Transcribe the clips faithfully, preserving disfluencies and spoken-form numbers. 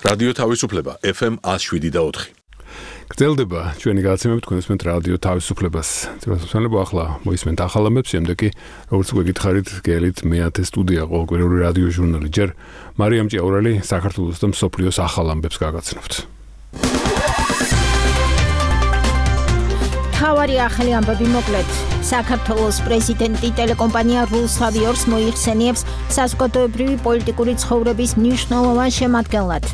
რადიო თავისუფლება ეფ ემ one oh seven და four. გრძელდება ჩვენი გადაცემები თქვენსმენთ რადიო თავისუფლებას. ძირითადად ახლა მოისმენთ ახალ ამბებს, შემდეგ კი როგორც უკვე გითხარით, გელით მეათე სტუდია ყოველკვირეული რადიო ჟურნალი ჯერ მარიამ ჭიაურელი საქართველოს და მსოფლიოს ახალ ამბებს გაგაცნობთ. თავარი ახალი ამბები მოკლედ. საქართველოს პრეზიდენტი ტელეკომპანია რუსთავიორს მოიხსენიებს საზოგადოებრივი პოლიტიკური ცხოვრების მნიშვნელოვან შემადგენლად.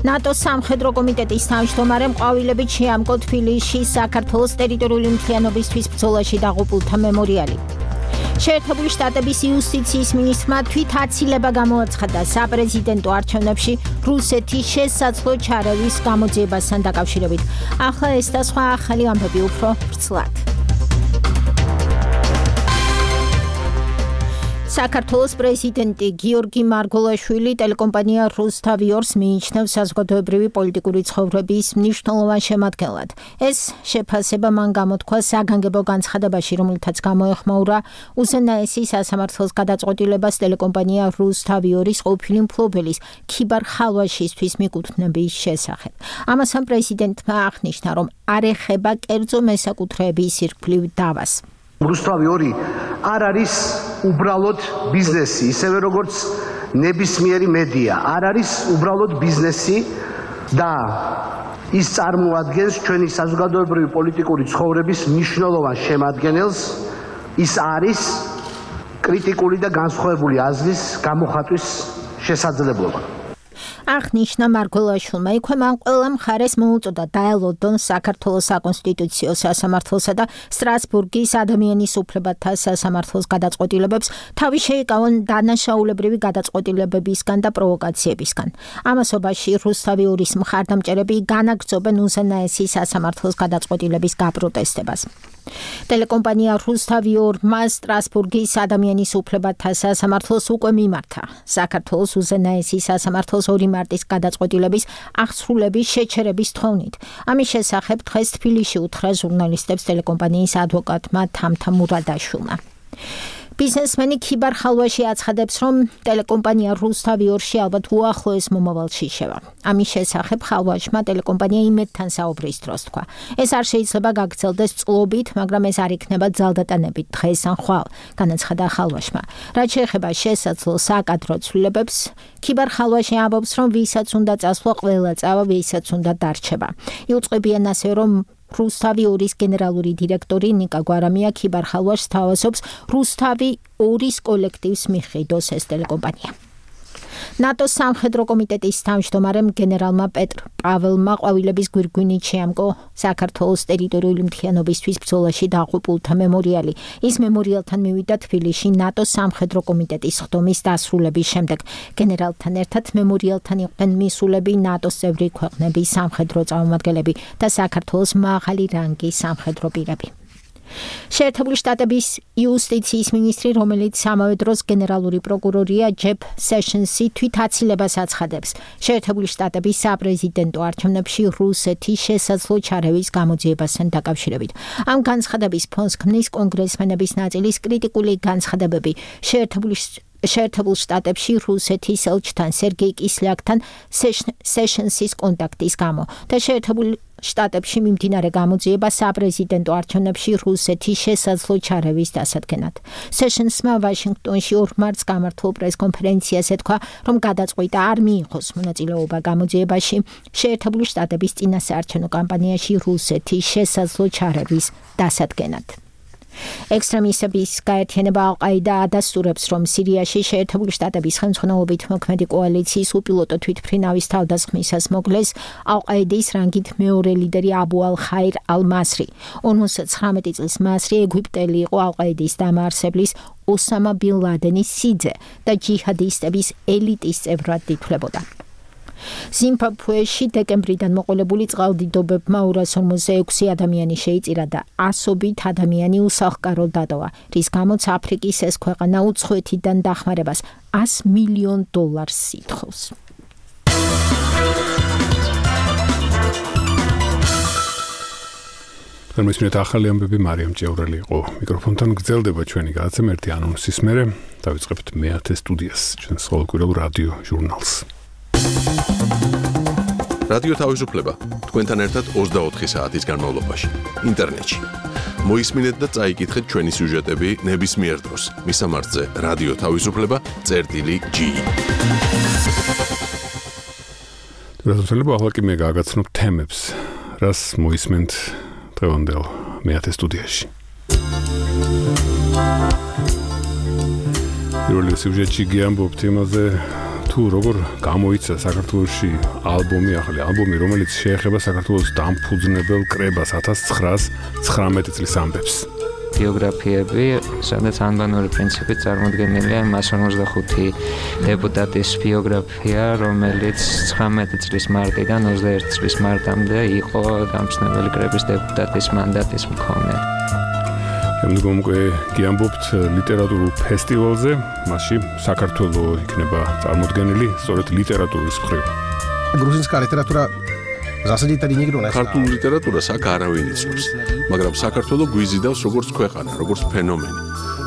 ნატოს სამხედრო კომიტეტის თავმჯდომარემ ყვავილებით შეამკო თბილისში საქართველოს ტერიტორიული მთლიანობისთვის ბრძოლაში დაღუპულთა მემორიალი. შეერთებული შტატების იუსტიციის მინისტრმა თვით აცილება გამოაცხადა საპრეზიდენტო არჩევნებში რუსეთის შესაძლო ჩარევის გამოძიებასთან დაკავშირებით. ახლა ეს და სხვა ახალი ამბები უფრო ვრცლად. საქართველოს პრეზიდენტი გიორგი მარგოლაშვილი ტელეკომპანია რუსთავიორს მიიჩნევს საზოგადოებრივი პოლიტიკური ცხოვრების მნიშვნელოვან შემადგენლად. ეს შეფასება მან გამოთქვა საგანგებო განცხადებაში, რომელთაც გამოეხმაურა უზენაესი სასამართლოს გადაწყვეტილებას ტელეკომპანია რუსთავიორის ყოფილი მფლობელის ქიბარ ხალვაშისთვის მიკუთვნების შესახებ. ამასთან პრეზიდენტმა აღნიშნა, რომ არ ეხება კერძო მესაკუთრეების ირგვლივ დავას. რუსთავიორი არ არის უბრალოდ ბიზნესი, ისევე როგორც ნებისმიერი მედია არ არის უბრალოდ ბიზნესი და ის წარმოადგენს ჩვენი საზოგადოებრივი პოლიტიკური ცხოვრების მნიშვნელოვან შემადგენელს. ის არის კრიტიკული და განსხვავებული აზრის გამოხატვის შესაძლებლობა. აღნიშნა მარგოლაშვილმა, იქვე მან ყველა მხარეს მოუწოდა დაელოდონ საქართველოს საკონსტიტუციო სასამართლოსა და სტრასბურგის ადამიანის უფლებათა სასამართლოს გადაწყვეტილებებს, თავი შეიკავონ დანაშაულებრივი გადაწყვეტილებებისგან და პროვოკაციებისგან. ამასობაში რუსთავიორის მხარდამჭერები განაგრძობენ უზენაესი სასამართლოს გადაწყვეტილების გაპროტესტებას. ტელეკომპანია რუსთავიორმა სტრასბურგის ადამიანის უფლებათა სასამართლოს უკვე მიმართა საქართველოს უზენაესი სასამართლოს ორი მარტის გადაწყვეტილების აღსრულების შეჩერების თხოვნით. ამის შესახებ დღეს თბილისში უთხრა ჟურნალისტებს ტელეკომპანიის ადვოკატმა თამთა მურადაშვილმა. ბიზნესმენი ქიბარ ხალვაში აცხადებს, რომ ტელეკომპანია რუსთავიორში ალბათ უახლოეს მომავალში შევა. ამის შესახებ ხალვაშმა ტელეკომპანია იმედთან საუბრის დროს თქვა. ეს არ შეიძლება გაგრძელდეს წლობით, მაგრამ ეს არ იქნება ძალდატანებით დღეს ან ხვალ, განაცხადა ხალვაშმა. რაც შეეხება შესაძლო საკადრო ცვლილებებს, ქიბარ ხალვაში ამბობს, რომ ვისაც უნდა წასვლა, ყველა წავა, ვისაც უნდა დარჩება. იუწყებიან ასევე, რომ რუსთავიორის გენერალური დირექტორი ნიკა გვარამია ქიბარ ხალვაშს თავაზობს რუსთავი ორის კოლექტივს მიჰყიდოს ეს ტელეკომპანია. ნატოს სამხედრო კომიტეტის თავმჯდომარემ გენერალმა პეტრ პაველმა ყვავილების გვირგვინით შეამკო საქართველოს ტერიტორიული მთლიანობისთვის ბრძოლაში დაღუპულთა მემორიალი. ის მემორიალთან მივიდა თბილისში ნატოს სამხედრო კომიტეტის ხდომის დასრულების შემდეგ. გენერალთან ერთად მემორიალთან იყვნენ მისულები, ნატოს წევრი ქვეყნების სამხედრო წარმომადგენლები და საქართველოს მაღალი რანგის სამხედრო პირები. შეერთებული შტატების იუსტიციის მინისტრი, რომელიც ამავე დროს გენერალური პროკურორია ჯეფ სეშენსი თვით აცილებას აცხადებს შეერთებული შტატების საპრეზიდენტო არჩევნებში რუსეთის შესაძლო ჩარევის გამოძიებასთან დაკავშირებით. ამ განცხადების ფონს ქმნის კონგრესმენების ნაწილის კრიტიკული განცხადებები შეერთებული შეერთებულ შტატებში რუსეთის ელჩთან სერგეი კისლიაკთან სეშენსის კონტაქტის გამო და შეერთებულ შტატებში მიმდინარე გამოძიება საპრეზიდენტო არჩევნებში რუსეთის შესაძლო ჩარევის დასადგენად. სეშენსმა ვაშინგტონში ორ მარტს გამართულ პრესკონფერენციაზე თქვა, რომ გადაწყვიტა არ მიიღოს მონაწილეობა გამოძიებაში შეერთებული შტატების წინასაარჩევნო კამპანიაში რუსეთის შესაძლო ჩარევის დასადგენად. ექსტრემისტების გაერთიანება ალ-ყაიდა ადასტურებს, რომ სირიაში შეერთებული შტატების ხელმძღვანელობით მოქმედი კოალიციის უპილოტო თვითმფრინავის თავდასხმისას მოკლეს ალ-ყაიდის რანგით მეორე ლიდერი აბუ ალ-ხაირ ალ-მასრი. ორმოცდათხრამეტი წლის მასრი ეგვიპტელი იყო ალ-ყაიდის დამაარსებლის ოსამა ბინ ლადენის სიძე და ჯიჰადისტების ელიტის წევრად ითვლებოდა. ზიმბაბვეში დეკემბრიდან მოყოლებული წყალდიდობებმა ორას ორმოცდაექვსი ადამიანი შეიწირა და ასობით ადამიანი უსახლკაროდ დატოვა, რის გამოც აფრიკის ეს ქვეყანა უცხოეთიდან დახმარებას ას მილიონ დოლარს ითხოვს. მისმენთ ახალი ამბები მარიამ ჭიაურელი იყო მიკროფონთან. გრძელდება ჩვენი გადაცემა ერთი ანონსის მერე დავიწყებთ მეათე სტუდიას, ჩვენს ყოველკვირეულ რადიო ჟურნალს. რადიო თავისუფლება თქვენთან ერთად ოცდაოთხი საათის განმავლობაში ინტერნეტში. მოისმინეთ და წაიკითხეთ ჩვენი სიუჟეტები ნებისმიერ დროს. მისამართზე რადიო თავისუფლება წერტილი ჯი. რადიო ახლა კი მე გაგაცნობ თემებს, რას მოისმენთ დღევანდელ მეათე სტუდიაში. პირველი სიუჟეტი გიამბობთ იმაზე, თუ როგორ გამოიცა საქართველოში ალბომი, ახალი ალბომი, რომელიც შეეხება საქართველოს დამფუძნებელ კრებას ათას ცხრაას ცხრამეტი წლის ამბებს. ბიოგრაფიები, სადაც ანბანური პრინციპით წარმოდგენილია მას ორმოცდახუთი დეპუტატის ბიოგრაფია, რომელიც ცხრამეტი წლის მარტიდან ოცდაერთი წლის მარტამდე იყო დამფუძნებელი კრების დეპუტატის მანდატის მქონე. შემდგომ უკვე გიამბობთ ლიტერატურულ ფესტივალზე, მასში საქართველო იქნება წარმოდგენილი სწორედ ლიტერატურის მხრივ. Грузинская литература засадита негрона. ქართულ ლიტერატურას აქ არავინ იცნობს, მაგრამ საქართველო გვიზიდავს როგორც ქვეყანა, როგორც ფენომენი.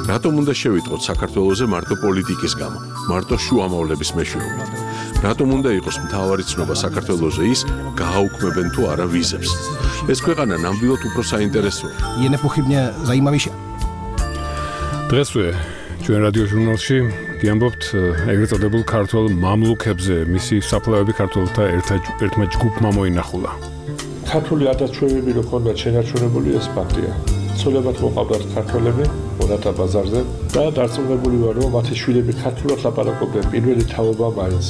რატომ უნდა შევიტყოთ საქართველოზე მარტო პოლიტიკის გამო, მარტო შუამავლების მეშვეობით? რატომ უნდა იყოს მთავარი ცნობა საქართველოზე ის, გააუქმებენ თუ არა ვიზებს? ეს ქვეყანა ნამდვილად უფრო საინტერესოა. Je nepochybně zajímavější. დღესვე ჩვენ რადიო ჟურნალში გიამბობთ ეგრეთ წოდებულ ქართულ მამლუქებზე, მისი საფლავები ქართველთა ერთმა ჯგუფმა მოინახულა. ქართული ადაჩვევები რო ქონდათ შენარჩუნებული ეს ფაქტია. ცოლებად მოყავდათ ქართველები მონათა ბაზარზე და დარწმუნებული ვარ, რომ მათი შვილები ქართულად ლაპარაკობდნენ პირველი თაობა მაინც.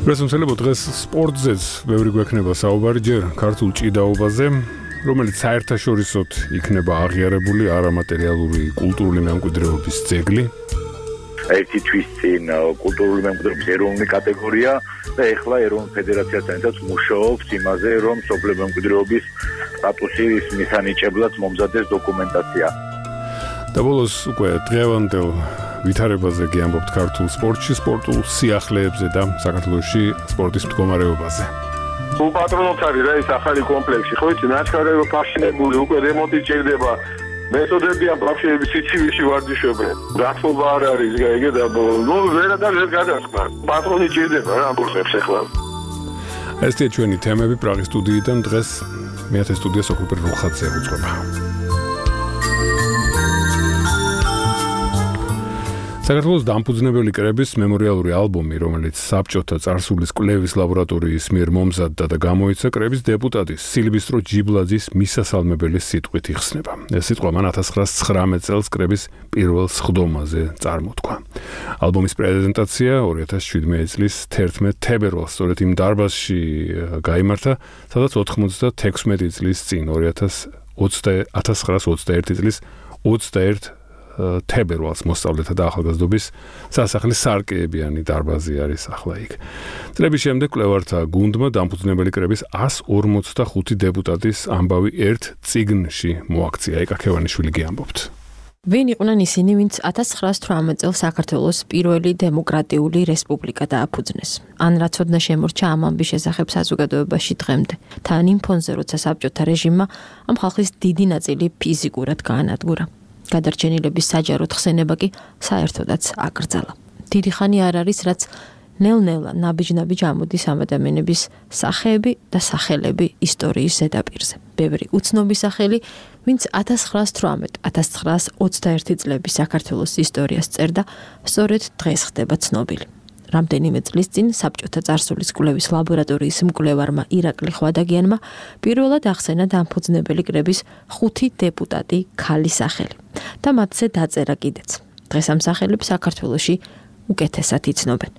რასამსელებო დღეს სპორტზეც ბევრი გვექნება საუბარი ჯერ ქართულ ჭიდაობაზე, რომელიც საერთაშორისოდ იქნება აღიარებული არამატერიალური კულტურული მემკვიდრეობის ძეგლი. ერთი თვის წინ კულტურული მემკვიდრეობის ეროვნული კატეგორია და ეხლა ეროვნულ ფედერაციასთან ერთად მუშაობს იმაზე, რომ სოფლის მემკვიდრეობის სტატუსის მისანიჭებლად მომზადდეს დოკუმენტაცია. და ბოლოს უკვე დღევანდელ ვითარებაზე გიამბობთ ქართულ სპორტში, სპორტულ სიახლეებზე და საქართველოში სპორტის მდგომარეობაზე. უპატრონოთ არის რა ეს ახალი კომპლექსი, ხო იცი, ნაჩქარები ფაშინებული, უკვე რემონტი ჭირდება. მეთოდებიან ბავშვები სიცივიში ვარჯიშობენ. გახსოვება არ არის გაიგე და ნუ ვერადარ ვერ გადასხმა. პატრონი ჭირდება რა ამბობს ახლა. ესეა ჩვენი თემები პრაღის სტუდიიდან დღეს მეათე სტუდია სოფლპერ რუხაძე უძღვება. საქართველოს დამფუძნებელი კრების მემორიალური ალბომი, რომელიც საბჭოთა წარსულის კვლევის ლაბორატორიის მიერ მომზადდა და გამოიცა კრების დეპუტატის სილვისტრო ჯიბლაძის მისასალმებელი სიტყვით იხსნება. ეს სიტყვა მან ათას ცხრაას ცხრამეტ წელს კრების პირველ სხდომაზე წარმოთქვა. ალბომის პრეზენტაცია ორი ათას შვიდმეტი წლის თერთმეტ თებერვალს სწორედ იმ დარბაზში გაიმართა, სადაც ოთხმოცდათექვსმეტი წლის წინ ორი ათას ცხრაას ოცდაერთი წლის ოცდაერთი თებერვალს მოსწავლეთა და ახალგაზრდობის სასახლის სარკეებიანი დარბაზი არის ახლა იქ. წლების შემდეგ კვლევართა გუნდმა დამფუძნებელი კრების ასს ორმოცდახუთი დეპუტატის ამბავი ერთ წიგნში მოაქცია. ეკაქევანიშვილი გიამბობთ. ვინ იყვნენ ისინი, ვინც ათას ცხრაას თვრამეტ წელს საქართველოს პირველი დემოკრატიული რესპუბლიკა დააფუძნეს? ან რა ცოდნა შემორჩა ამ ამბის შესახებ საზოგადოებაში დღემდე? თან იმ ფონზე, როცა საბჭოთა რეჟიმმა ამ ხალხის დიდი ნაწილი ფიზიკურად გაანადგურა. გადარჩენილების საჯაროდ ხსენება კი საერთოდაც აკრძალა. დიდი ხანი არ არის, რაც ნელ-ნელა ნაბიჯ-ნაბიჯ ამოდის ამ ადამიანების სახეები და სახელები ისტორიის ზედაპირზე. ბევრი უცნობი სახელი, ვინც ათას ცხრაას თვრამეტ ათას ცხრაას ოცდაერთი წლების საქართველოს ისტორიას წერდა, სწორედ დღეს ხდება ცნობილი. რამდენიმე წლის წინ საბჭოთა წარსულის კვლევის ლაბორატორიის მკვლევარმა ირაკლი ხვადაგიანმა პირველად ახსენა დამფუძნებელი კრების ხუთი დეპუტატი ქალის სახელი და მათზე დაწერა კიდეც. დღეს ამ სახელებს საქართველოში უკეთესად იცნობენ.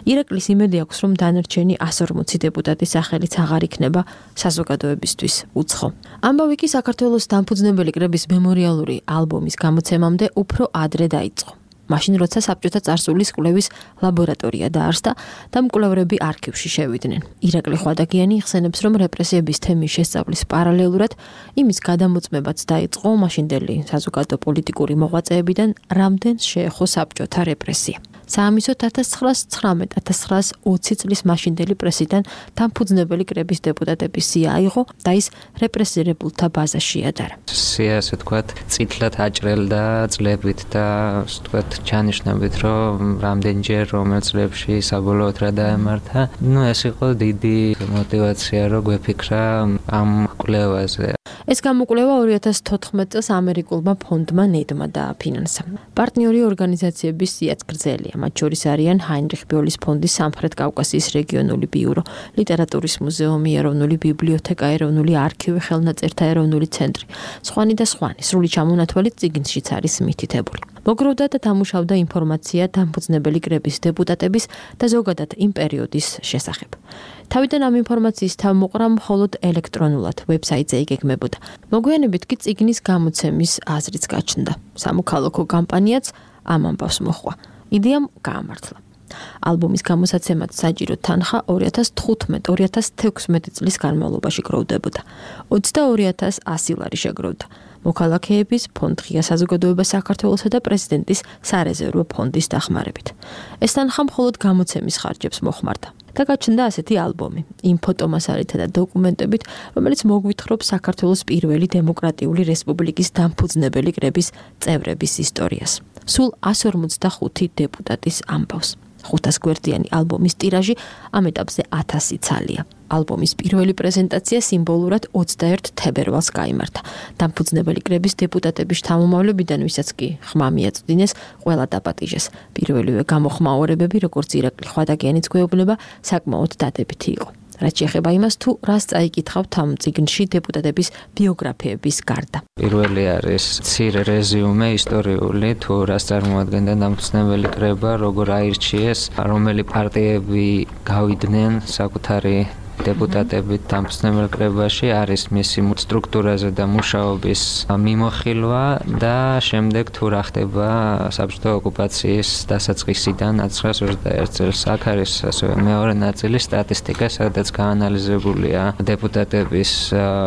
ირაკლის იმედი აქვს, რომ დანარჩენი ასი ორმოცი დეპუტატის სახელიც აღარ იქნება საზოგადოებისთვის უცხო. ამბავი კი საქართველოს დამფუძნებელი კრების მემორიალური ალბომის გამოცემამდე უფრო ადრე დაიწყო. მაშინ როცა საბჭოთა წარსულის კვლევის ლაბორატორია დაარსდა და მკვლევრები არქივში შევიდნენ. ირაკლი ხვადაგიანი იხსენებს, რომ რეპრესიების თემის შესწავლის პარალელურად იმის გადამოწმებაც დაიწყო მაშინდელი საზოგადო პოლიტიკური მოღვაწეებიდან, რამდენს შეეხო საბჭოთა რეპრესია. საამისოდ ათას ცხრაას ცხრამეტ ათას ცხრაას ოცი წლის მაშინდელი პრესიდან დამფუძნებელი კრების დეპუტატების სია აიღო და ის რეპრესირებულთა ბაზაში ადარა. სია ასე თქვათ, წითლად აჭრელდა წლებით და ასე თქვათ, ჩანიშნებით, რომ რამდენჯერ რომელ წლებში საბოლოოდ რა დაემართა. ნუ ეს იყო დიდი мотиваცია, რომ გვეფიქრა ამ კვლევაზე. ეს გამოკვლევა ორი ათას თოთხმეტ წელს ამერიკულმა ფონდმა ნედმა დააფინანსა. პარტნიორი ორგანიზაციების სიაც გრძელია, მათ შორის არიან ჰაინრიხ ბიოლის ფონდის სამხრეთ კავკასიის რეგიონული ბიურო, ლიტერატურის მუზეუმი, ეროვნული ბიბლიოთეკა, ეროვნული არქივი, ხელნაწერთა ეროვნული ცენტრი, სხვანი და სხვანი, სრული ჩამონათვალი წიგნშიც არის მითითებული. მოგროვდა და დამუშავდა ინფორმაცია დამფუძნებელი კრების დეპუტატების და ზოგადად იმ პერიოდის შესახებ. თავიდან ამ ინფორმაციის თავმოყრა მხოლოდ ელექტრონულად ვებსაიტზე იგეგმებოდა. მოგვიანებით კი წიგნის გამოცემის აზრიც გაჩნდა. სამოქალაქო კამპანიაც ამ ამბავს მოჰყვა. იდეამ გაამართლა. ალბომის გამოსაცემად საჭირო თანხა ორი ათას თხუთმეტ ორი ათას თექვსმეტ წლის განმავლობაში გროვდებოდა. ოცდაორი ათას ასი ლარი შეგროვდა. მოქალაქეების ფონდ ღია საზოგადოება საქართველოსა და პრეზიდენტის სარეზერვო ფონდის დახმარებით. ეს თანხა მხოლოდ გამოცემის ხარჯებს მოხმარდა. და გაჩნდა ასეთი ალბომი, იმ ფოტომასალითა და დოკუმენტებით, რომელიც მოგვითხრობს საქართველოს პირველი დემოკრატიული რესპუბლიკის დამფუძნებელი კრების წევრების ისტორიას. სულ εκατს ორმოცდახუთი დეპუტატის ამბავს. ხუთას გვერდიანი ალბომის ტირაჟი ამ ეტაპზე ათასი ცალია. ალბომის პირველი პრეზენტაცია სიმბოლურად ოცდაერთ თებერვალს გაიმართა. დამფუძნებელი კრების დეპუტატების შთამომავლებიდან, ვისაც კი ხმა მიაწვდინეს, ყველა დაპატიჟეს. პირველივე გამოხმაურებები, როგორც ირაკლი ხვადაგიანიც გვეუბნება, საკმაოდ დადებითი იყო. რაც შეეხება იმას, თუ რას წაიკითხავთ ამ წიგნში დეპუტატების ბიოგრაფიების გარდა. პირველი არის მცირე რეზიუმე ისტორიული, თუ რას წარმოადგენდა დამფუძნებელი კრება, როგორ აირჩიეს, რომელი პარტიები გავიდნენ საკუთარი დეპუტატებით დამფუძნებელ კრებაში, არის მისი სტრუქტურაზე და მუშაობის მიმოხილვა და შემდეგ თუ რა ხდება საბჭოთა ოკუპაციის დასაწყისიდან ათას ცხრაას ოცდაერთ წელს. აქ არის ასევე მეორე ნაწილი სტატისტიკა, სადაც გაანალიზებულია დეპუტატების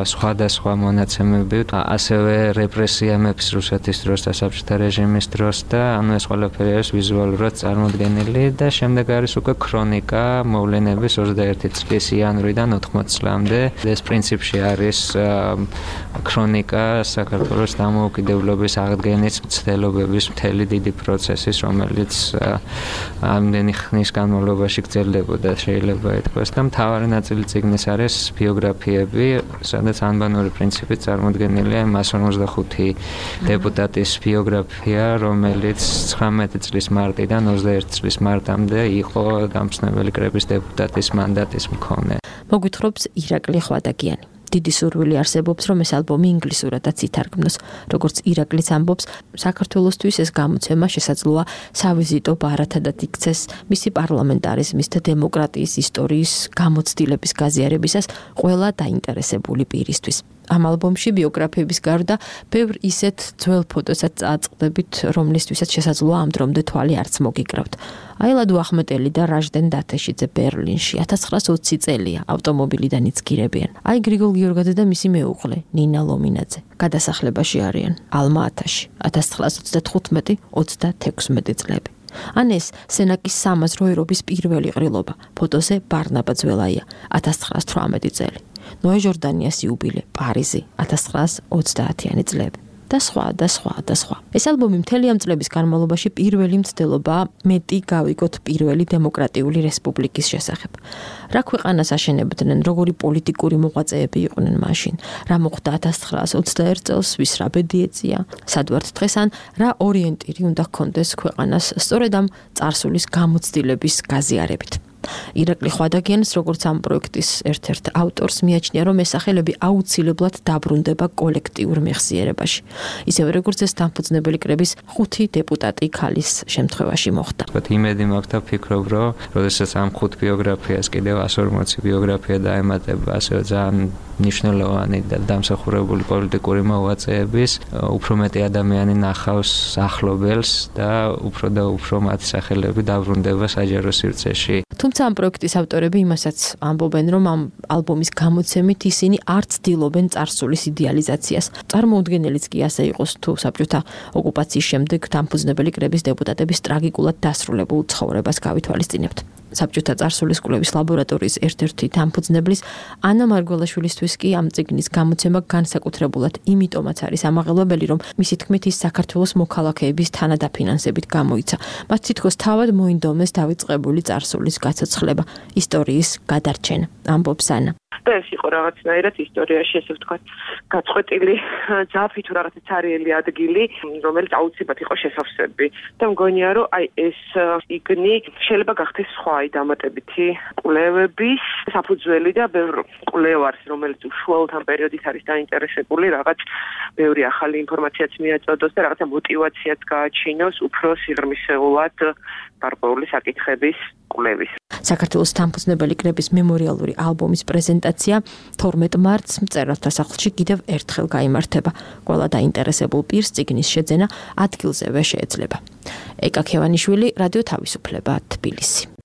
სხვადასხვა მონაცემები, ასევე რეპრესია მეფის რუსეთის დროს და საბჭოთა რეჟიმის დროს და ანუ ეს ყველაფერი არის ვიზუალურად წარმოდგენილი და შემდეგ არის უკვე ქრონიკა მოვლენების ოცდაერთი წლის იანვრიდან ოთხმოცი წლამდე. ეს პრინციპში არის ქრონიკა საქართველოს დამოუკიდებლობის აღდგენის მცდელობების მთელი დიდი პროცესის, რომელიც ამდენი ხნის განმავლობაში გრძელდებოდა, შეიძლება ითქვას და მთავარი ნაწილი წიგნის არის ბიოგრაფიები, სადაც ანბანური პრინციპით წარმოდგენილია εκατს ორმოცდახუთი დეპუტატის ბიოგრაფია, რომელიც ცხრამეტი წლის მარტიდან ოცდაერთი წლის მარტამდე იყო დამფუძნებელი კრების დეპუტატის მანდატის მქონე. მოგვითხრობს ირაკლი ხვადაგიანი. დიდი სურვილი არსებობს, რომ ეს ალბომი ინგლისურადაც ითარგმნოს. როგორც ირაკლიც ამბობს, საქართველოსთვის ეს გამოცემა შესაძლოა სავიზიტო ბარათადად იქცეს მისი პარლამენტარიზმის და დემოკრატიის ისტორიის გამოცდილების გაზიარებისას ყველა დაინტერესებული პირისთვის. ამ ალბომში ბიოგრაფიების გარდა ბევრ ისეთ ძველ ფოტოსაც წააწყდებით, რომლისთვისაც შესაძლოა ამ დრომდე თვალი არც მოგიკრავთ. აილადო ახმეტელი და რაჟდენ დათეშიძე ბერლინში ათას ცხრაას ოცი წელია ავტომობილიდან იცგირებიან. აი გრიგოლ გიორგაძე და მისი მეუღლე ნინა ლომინაძე გადასახლებაში არიან ალმა-ათაში ათას ცხრაას ოცდათხუთმეტი ოცდათექვსმეტი წლები. ან ეს სენაკის სამაზრო ერობის პირველი ყრილობა, ფოტოზე ბარნაბა ძველაია ათას ცხრაას თვრამეტი წელი. ნოე ჟორდანიას იუბილე, პარიზი, ათას ცხრაას ოცდაათიანი წლები. და სხვა და სხვა და სხვა. ეს ალბომი მთელი ამ წლების განმავლობაში პირველი მცდელობაა მეტი გავიგოთ პირველი დემოკრატიული რესპუბლიკის შესახებ. რა ქვეყანას აშენებდნენ, როგორი პოლიტიკური მოღვაწეები იყვნენ მაშინ, რა მოხდა ათას ცხრაას ოცდაერთ წელს, ვის რა ბედი ეწია, სად ვართ დღეს ან რა ორიენტირი უნდა ჰქონდეს ქვეყანას სწორედ ამ წარსულის გამოცდილების გაზიარებით. ირაკლი ხვადაგიანს, როგორც ამ პროექტის ერთ-ერთ ავტორს, მიაჩნია, რომ ეს სახელები აუცილებლად დაბრუნდება კოლექტიურ მეხსიერებაში. ისევე როგორც ეს დამფუძნებელი კრების ხუთი დეპუტატი ქალის შემთხვევაში მოხდა. იმედი მაქვს და ფიქრობ, რომ როდესაც ამ ხუთ ბიოგრაფიას კიდევ εκατს ორმოცი ბიოგრაფია დაემატება, ასევე ძალიან მნიშვნელოვანი და დამსახურებული პოლიტიკური მოვაწეების, უფრო მეტი ადამიანი ნახავს ახლობელს და უფრო და უფრო მათი სახელები დაბრუნდება საჯარო სივრცეში. თუმცა ამ პროექტის ავტორები იმასაც ამბობენ, რომ ამ ალბომის გამოცემით ისინი არ ცდილობენ წარსულის იდეალიზაციას. წარმოუდგენელიც კი ასე იყოს თუ საბჭოთა ოკუპაციის შემდეგ დამფუძნებელი კრების დეპუტატების ტრაგიკულად დასრულებულ ცხოვრებას გავითვალისწინებთ. საბჭოთა წარსულის კვლევის ლაბორატორიის ერთ-ერთი დამფუძნებლის ანა მარგველაშვილისთვის კი ამ წიგნის გამოცემა განსაკუთრებულად იმიტომაც არის ამაღელვებელი, რომ მისი თქმით ის საქართველოს მოქალაქეების თანადაფინანსებით გამოიცა. მათ თითქოს თავად მოინდომეს დავიწყებული წარსულის გაცოცხლება, ისტორიის გადარჩენა, ამბობს ანა. და ეს იყო რაღაცნაირად ისტორიაში, ესე ვთქვათ, გაწყვეტილი ძაფი თუ რაღაცა ცარიელი ადგილი, რომელიც აუცილებლად იყო შესავსები. და მგონია, რომ აი ეს იგნი შეიძლება გახდეს სხვა აი დამატებითი კვლევების საფუძველი და ბევრ კვლევარს, რომელიც უშუალოდ ამ პერიოდით არის დაინტერესებული, რაღაც ბევრი ახალი ინფორმაციაც მიაწოდოს და რაღაცა მოტივაციაც გააჩინოს უფრო სიღრმისეულად გარკვეული საკითხების კვლევის. საქართველოს დამფუძნებელი კრების მემორიალური ალბომის პრეზენტაცია თორმეტ მარტს მწერალთა სახლში კიდევ ერთხელ გაიმართება. ყველა დაინტერესებულ პირს წიგნის შეძენა ადგილზევე შეეძლება. ეკა ქევანიშვილი, რადიო თავისუფლება, თბილისი.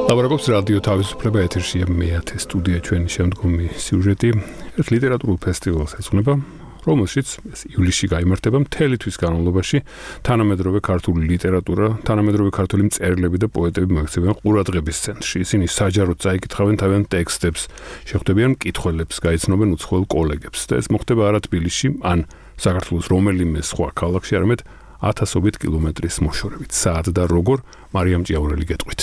ლაბორატორიის რადიო თავისუფლება ეთერშია მეათე სტუდია ჩვენი შემდგომი სიუჟეტი ერთ ლიტერატურულ ფესტივალს ეძღვნება, რომელშიც ივლისში გაიმართება მთელი თვის განმავლობაში თანამედროვე ქართული ლიტერატურა, თანამედროვე ქართული მწერლები და პოეტები მოექცევიან ყურადღების ცენტრში. ისინი საჯაროდ წაიკითხავენ თავიანთ ტექსტებს, შეხვდებიან მკითხველებს, გაიცნობენ უცხოელ კოლეგებს და ეს მოხდება არა თბილისში, ან საქართველოს რომელიმე სხვა ქალაქში, არამედ ათასობით კილომეტრის მოშორებით. საათ და როგორ მარიამ ჭიაურელი გეტყვით.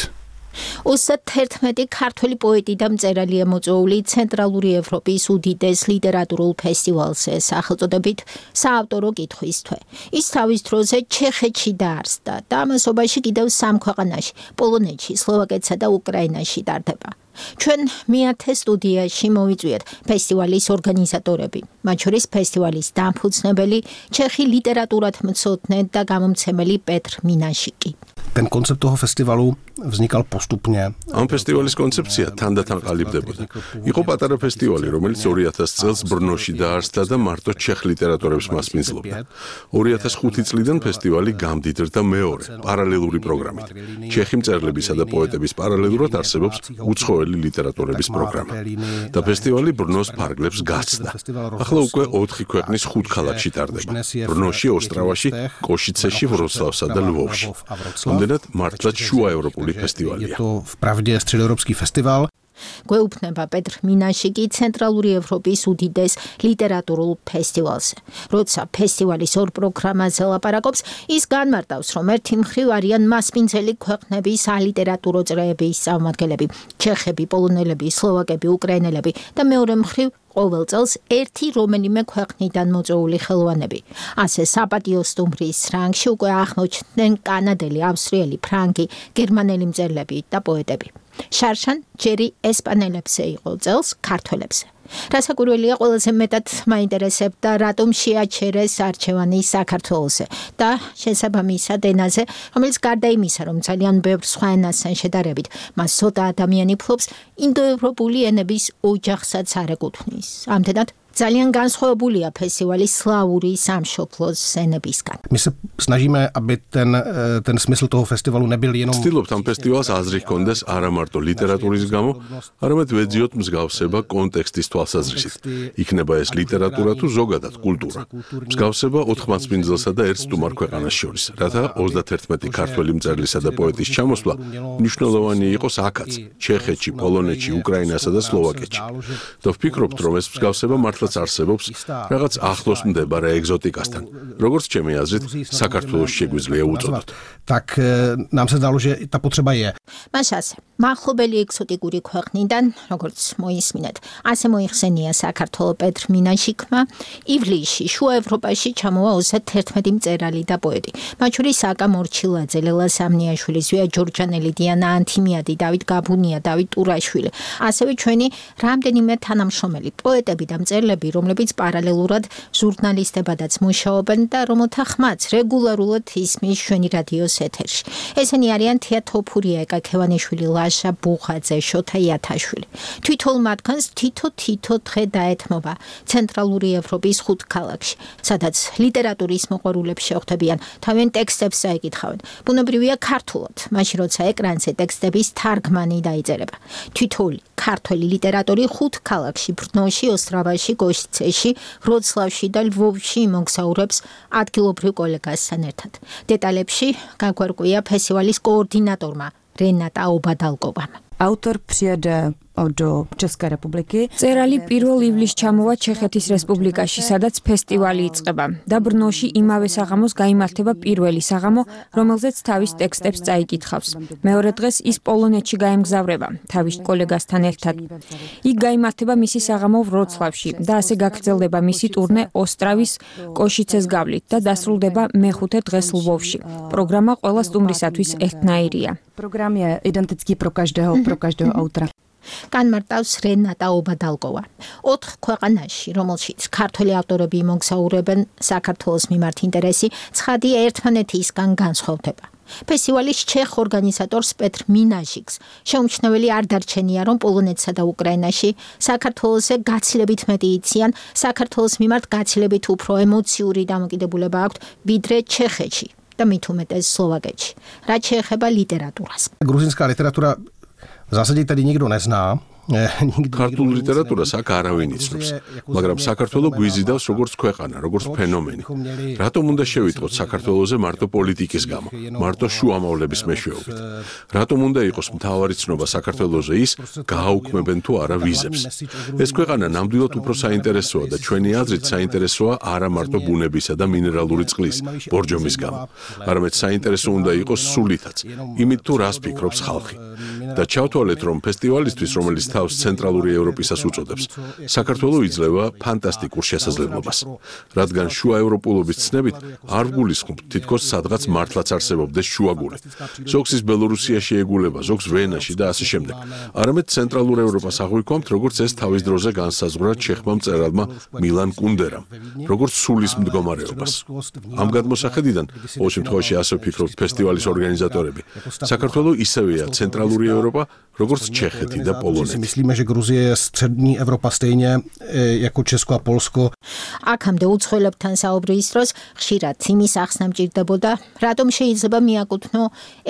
ოცდაერთმეტი ქართველი პოეტი და მწერალია მოწვეული ცენტრალური ევროპის უდიდეს ლიტერატურულ ფესტივალზე სახელწოდებით საავტორო კითხვის თვე. ის თავის დროზე ჩეხეთში დაარსდა და ამასობაში კიდევ სამ ქვეყანაში, პოლონეთში, სლოვაკეთსა და უკრაინაში ტარდება. ჩვენ მეათე სტუდიაში მოვიწვიეთ ფესტივალის ორგანიზატორები, მათ შორის ფესტივალის დამფუძნებელი, ჩეხი ლიტერატურათმცოდნე და გამომცემელი პეტრ მინაშიკი. Ten koncept toho festivalu vznikal postupně. Am festivalis koncepcia თანდათან ყალიბდებოდა. იყო პატარა ფესტივალი, რომელიც ორი ათას წელს ბრნოში დაარსდა და მარტო ჩეხ ლიტერატორებს მასპინძლობდა. ორი ათას ხუთი წლიდან ფესტივალი გამდიდრდა მეორე, პარალელური პროგრამით. ჩეხი მწერლებისა და პოეტების პარალელურად არსებობს უცხოელი ლიტერატორების პროგრამა. და ფესტივალი ბრნოს ფარგლებს გასცდა. ახლა უკვე ოთხი ქვეყნის ხუთ ქალაქში ტარდება. ბრნოში, ოსტრავაში, კოშიცეში, ვროცლავსა და ლვოვში. Ამდენად მართლაც შუაევროპული ფესტივალია. To vpravdě středoevropský festival. გვეუბნება პეტრ მინაშიკი ცენტრალური ევროპის უდიდეს ლიტერატურულ ფესტივალზე. როცა ფესტივალის ორ პროგრამაზე ლაპარაკობს, ის განმარტავს, რომ ერთი მხრივ არიან მასპინძელი ქვეყნების სალიტერატურო წრეების წარმომადგენლები, ჩეხები, პოლონელები, სლოვაკები, უკრაინელები და მეორე მხრივ ყოველ წელს ერთი რომელიმე ქვეყნიდან მოწვეული ხელოვანები. ასე საპატიო სტუმრის რანგში უკვე აღმოჩნდნენ კანადელი, ავსტრიელი, ფრანგი, გერმანელი მწერლები და პოეტები. შარშან ჯერი ესპანელებზე იყო, წელს ქართველებზე. რასაკვირველია, ყველაზე მეტად მაინტერესებდა, რატომ შეაჩერეს არჩევანი საქართველოზე და შესაბამისად ენაზე, რომელიც გარდა იმისა, რომ ძალიან ბევრ სხვა ენასთან შედარებით, მას ცოტა ადამიანი ფლობს, ინდოევროპული ენების ოჯახსაც არ ეკუთვნის. ამდენად ძალიან განსხვავებულია ფესტივალი სლავური სამშობლოს ენებისგან. My se snažíme, aby ten, ten smysl toho festivalu nebyl jenom... Ვცდილობთ ამ ფესტივალს აზრი ჰქონდეს არა მარტო ლიტერატურის გამო, არამედ ვეძიოთ მსგავსება კონტექსტის თვალსაზრისით. იქნება ეს ლიტერატურა თუ ზოგადად კულტურა. მსგავსება ოთხმასპინძელსა და ერთ სტუმარ ქვეყანას შორის, რათა ოცდაერთმეტი ქართველი მწერლისა და პოეტის ჩამოსვლა მნიშვნელოვანი იყოს აქაც, ჩეხეთში, პოლონეთში, უკრაინასა და სლოვაკეთში. და ვფიქრობთ, რომ ეს მსგავსება მართლაც მართლაც არსებობს რაღაც ახლოს მდებარე ეგზოტიკასთან, როგორც ჩემი აზრით, საქართველოს შეგვიძლია უწოდოთ. Tak nám se zdalo, že ta potřeba je. მას ასე, მახლობელი ეგზოტიკური ქვეყნიდან, როგორც მოისმინეთ, ასე მოიხსენია საქართველოს პეტრ მინაშიკმა, ივლისში შუა ევროპაში ჩამოვა ოცდაერთმეტი მწერალი და პოეტი. მათ შორის აკა მორჩილაძე, ლელა სამნიაშვილი, ზვია ჯორჯანელი, დიანა ანთიმიადი, დავით გაბუნია, დავით ტურაშვილი. ასევე ჩვენი რამდენიმე თანამშრომელი პოეტები და მწერლები, რომლებიც პარალელურად ჟურნალისტებადაც მუშაობენ და რომელთა ხმაც რეგულარულად ისმის ჩვენი რადიოს ეთერში. ესენი არიან თია თოფურია, ეკა ქევანიშვილი, ლაშა ბუხაძე, შოთა იათაშვილი. თვითონ მათგანს თითო-თითო დღე დაეთმობა ცენტრალური ევროპის ხუთ ქალაქში, სადაც ლიტერატურის მოყვარულებს შეხვდებიან, თავენ ტექსტებს წაიკითხავენ. ბუნებრივია ქართულად, მაშინ როცა ეკრანზე ტექსტების თარგმანი დაიწერება. თითოეული ქართველი ლიტერატორი ხუთ ქალაქში, ბრნოში, ოსტრავაში, გოშცეში, ვროცლავში და ლვოვში იმოგზაურებს ადგილობრივ კოლეგასთან ერთად. დეტალებში გაგვარკვია ფესტივალის კოორდინატორმა რენატა ობადალკოვამ. Autor přijede do České republiky. წერალი პირველ ივლისს ჩამოვა ჩეხეთის რესპუბლიკაში, სადაც ფესტივალი იწყება. და ბრნოში იმავე საღამოს გაიმართება პირველი საღამო, რომელზეც თავის ტექსტებს წაიკითხავს. მეორე დღეს ის პოლონეთში გაემგზავრება, თავის კოლეგასთან ერთად. იქ გაიმართება მისი საღამო ვროცლავში და ასე გაგრძელდება მისი ტურნე ოსტრავის კოშიცეს გავლით და დასრულდება მეხუთე დღეს ლვოვში. პროგრამა ყველა სტუმრისათვის ერთნაირია. Program je identický pro každého, pro každého autora. განმარტავს რენატა ობადალკოვა. ოთხ ქვეყანაში, რომელშიც ქართველი ავტორები იმოგზაურებენ, საქართველოს მიმართ ინტერესი ცხადია ერთმანეთისგან განსხვავდება. ფესტივალის ჩეხ ორგანიზატორს პეტრ მინაშიკს შეუმჩნეველი არ დარჩენია, რომ პოლონეთსა და უკრაინაში საქართველოსზე გაცილებით მეტი იციან, საქართველოს მიმართ გაცილებით უფრო ემოციური დამოკიდებულება აქვთ, ვიდრე ჩეხეთში და მით უმეტეს სლოვაკეთში. რაც შეეხება ლიტერატურას. Gruzinská literatura v zásadě tady nikdo nezná. ქართულ ლიტერატურას აქ არავინ იცნობს, მაგრამ საქართველო გვიზიდავს როგორც ქვეყანა, როგორც ფენომენი. რატომ უნდა შევიტყოთ საქართველოზე მარტო პოლიტიკის გამო, მარტო შუამავლების მეშვეობით? რატომ უნდა იყოს მთავარი ცნობა საქართველოზე ის, გააუქმებენ თუ არა ვიზებს? ეს ქვეყანა ნამდვილად უფრო საინტერესოა და ჩვენი აზრით საინტერესოა არა მარტო ბუნებისა და მინერალური წყლის, ბორჯომის გამო, არამედ საინტერესო უნდა იყოს სულითაც, იმით თუ რას ფიქრობს ხალხი. და ჩავთვალეთ, რომ ფესტივალისთვის, რომელიც თავს ცენტრალური ევროპისას უწოდებს, საქართველო იძლევა ფანტასტიკურ შესაძლებლობას, რადგან შუა ევროპულობის ცნებით არ ვგულისხმობთ თითქოს სადღაც მართლაც არსებობდეს შუაგული. ზოგს ის ბელორუსიაში ეგულება, ზოგს ვენაში და ასე შემდეგ. არამედ ცენტრალურ ევროპას აღვიქვამთ, როგორც ეს თავის დროზე განსაზღვრა ჩეხმა მწერალმა მილან კუნდერამ, როგორც სულის მდგომარეობას. ამ გადმოსახედიდან, ყოველ შემთხვევაში ასე ვფიქრობთ ფესტივალის ორგანიზატორები, საქართველო ისევეა ცენტრალური ევროპა, როგორც ჩეხეთი და პოლონეთი. Myslíme, že Gruzie je střední Evropa stejně jako Česko a Polsko. აქამდე უცხოელებთან საუბრის დროს ხშირად იმის ახსნა მჭირდებოდა, რატომ შეიძლება მიაკუთვნო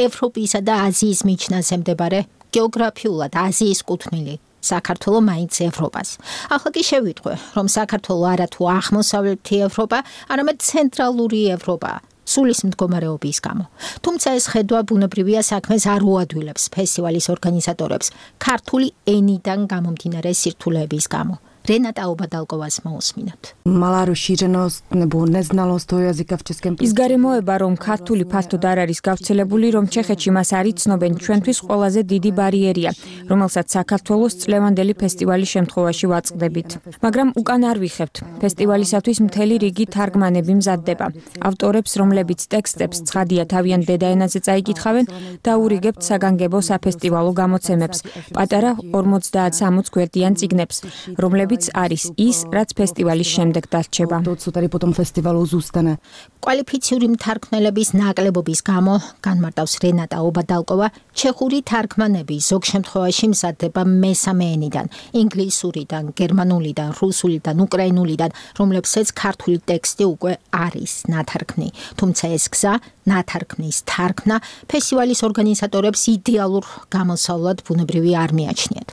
ევროპისა და აზიის მიჯნაზე მდებარე გეოგრაფიულად აზიის კუთვნილი საქართველო მაინც ევროპას. ახლა კი შევიტყვე, რომ საქართველო არა თუ აღმოსავლეთი ევროპა, არამედ ცენტრალური ევროპა. სულის მდგომარეობის გამო. თუმცა ეს ხედვა ბუნებრივია საქმეს არ უადვილებს ფესტივალის ორგანიზატორებს ქართული ენიდან გამომდინარე სირთულეების გამო. რენატა ობადალკოვას მოусმინოთ. Malá rozšířenost nebo neznalost toho jazyka v českém ის გარემოება, რომ ქართული ფართოდ არ არის გავრცელებული, რომ ჩეხეთში მას არ იცნობენ, ჩვენთვის ყველაზე დიდი ბარიერია, რომელსაც საქართველოს წლევანდელი ფესტივალის შემთხვევაში ვაწყდებით. მაგრამ უკან არ ვიხევთ. ფესტივალისათვის მთელი რიგი თარგმანები მზადდება. ავტორებს, რომლებიც ტექსტებს ცხადია თავიანთ დედაენაზე წაიკითხავენ, დაურიგებთ საგანგებო საფესტივალო გამოცემებს, პატარა ორმოცდაათ-სამოცდაათ გვერდიან წიგნებს, რომლებიც არის ის, რაც ფესტივალის შემდეგ დარჩება. კვალიფიციური მთარგმნელების ნაკლებობის გამო, განმარტავს რენატა ობადალკოვა, ჩეხური თარგმანები ზოგ შემთხვევაში მზადდება მესამე ენიდან, ინგლისურიდან, გერმანულიდან, რუსულიდან, უკრაინულიდან, რომლებსაც ქართული ტექსტი უკვე არის ნათარგმნი. თუმცა ეს გზა, ნათარგმნის თარგმნა, ფესტივალის ორგანიზატორებს იდეალურ გამოსავლად ბუნებრივი არ მიაჩნიათ.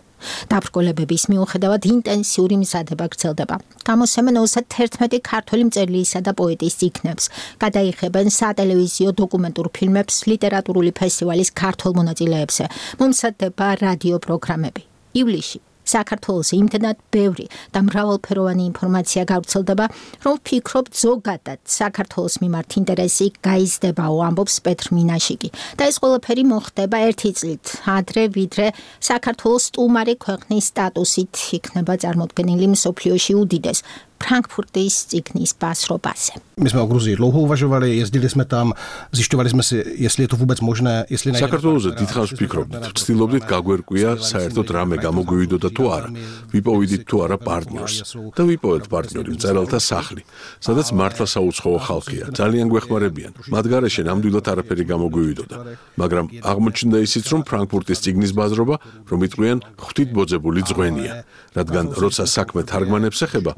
დაბრკოლებების მიუხედავად ინტენსიური მზადება გრძელდება. გამოსცემენ ოცდაერთმეტი ქართველი მწერლისა და პოეტის წიგნებს, გადაიხებენ სატელევიზიო დოკუმენტურ ფილმებს ლიტერატურული ფესტივალის ქართულ მონაწილეებზე, მომზადდება რადიო პროგრამები. ივლისში საქართველოს იმდენად ბევრი და მრავალფეროვანი ინფორმაცია გავრცელდება, რომ ვფიქრობთ ზოგადად საქართველოს მიმართ ინტერესი გაიზრდებაო, ამბობს პეტრ მინაშიკი. და ეს ყველაფერი მოხდება ერთი წლით ადრე, ვიდრე საქართველოს სტუმარი ქვეყნის სტატუსით იქნება წარმოდგენილი მსოფლიოში უდიდეს Frankfurtis цикнис басробасе. My jsme o Gruzii dlouho uvažovali, jezdili jsme tam, zjišťovali jsme si, jestli je to vůbec možné, jestli najde. საქართველოზე დიდხანს ვფიქრობდით, ვცდილობდით გაგვერკვია საერთოდ რამე გამოგვივიდოდა თუ არა. ვიპოვიდით თუ არა პარტნიორს და ვიპოვეთ პარტნიორი მწერალთა სახლი, სადაც მართლა საუცხოო ხალხია, ძალიან გვეხმარებიან. მათ გარეშე ნამდვილად არაფერი გამოგვივიდოდა, მაგრამ აღმოჩნდა ისიც, რომ ფრანკფურტის ციგნის ბაზრობა, რომ იტყვიან ღვთით ბოძებული ძღვენია, რადგან როცა საქმე თარგმანებს ეხება,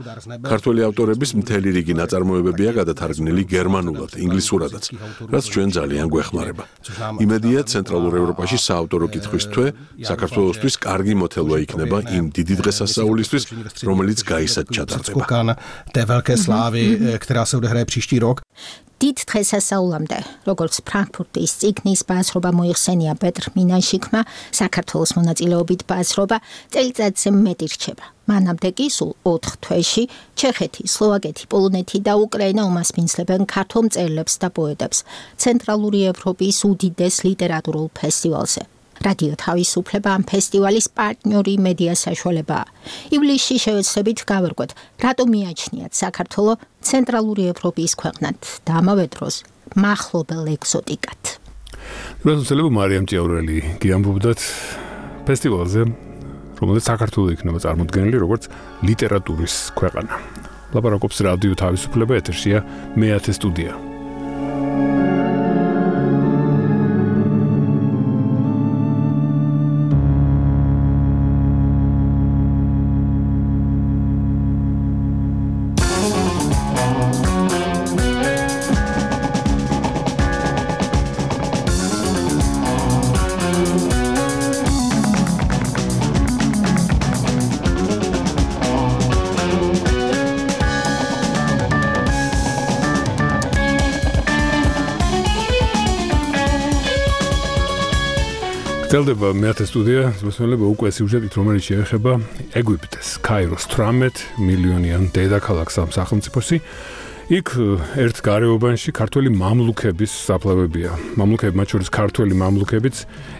ქართველი ავტორების მთელი რიგი ნაწარმოებებია გადათარგმნილი გერმანულად, ინგლისურადაც, რაც ჩვენ ძალიან გვეხმარება. იმედია, ცენტრალურ ევროპაში საავტორო კითხვის თვე საქართველოსთვის კარგი მოთელვა იქნება იმ დიდი დღესასწაულისთვის, რომელიც გაისად ჩატარდება. Té velké slávy, která se odehraje příští rok. დიდ დღესასწაულამდე, როგორც ფრანკფურტის ციგნის ბაზრობა მოიხსენია პეტრ მინაშიკმა, საქართველოს მონაწილეობით ბაზრობა წელიწადზე მეტი რჩება. მანამდე კი სულ ოთხ თვეში ჩეხეთი, სლოვაკეთი, პოლონეთი და უკრაინა უმასპინძლებენ ქართულ მწერლებს და პოეტებს ცენტრალური ევროპის უდიდეს ლიტერატურულ ფესტივალზე. რადიო თავისუფლება ამ ფესტივალის პარტნიორი მედია საშუალებაა. ივლისში შევეცდებით გავერკვეთ, რატომ მიაჩნიათ საქართველო ცენტრალური ევროპის ქვეყნად და ამავე დროს მახლობელ ეგზოტიკად. რუსელები მარიამ ჭიაურელი გიამბობდათ ფესტივალზე, რომელიც საქართველოს იქნება წარმოდგენილი როგორც ლიტერატურის ქვეყანა. ლაპარაკობს რადიო თავისუფლება, ეთერშია მეათე სტუდია. გრძელდება მეათე სტუდია, მოსმენელები უკვე სიუჟეტით, რომელიც შეეხება ეგვიპტეს, კაიროს თვრამეტ მილიონიან დედაქალაქს ამ სახელმწიფოში. იქ ერთ გარეუბანში ქართველი მამლუქების საფლავებია. მამლუქები, მათ შორის ქართველი მამლუქებიც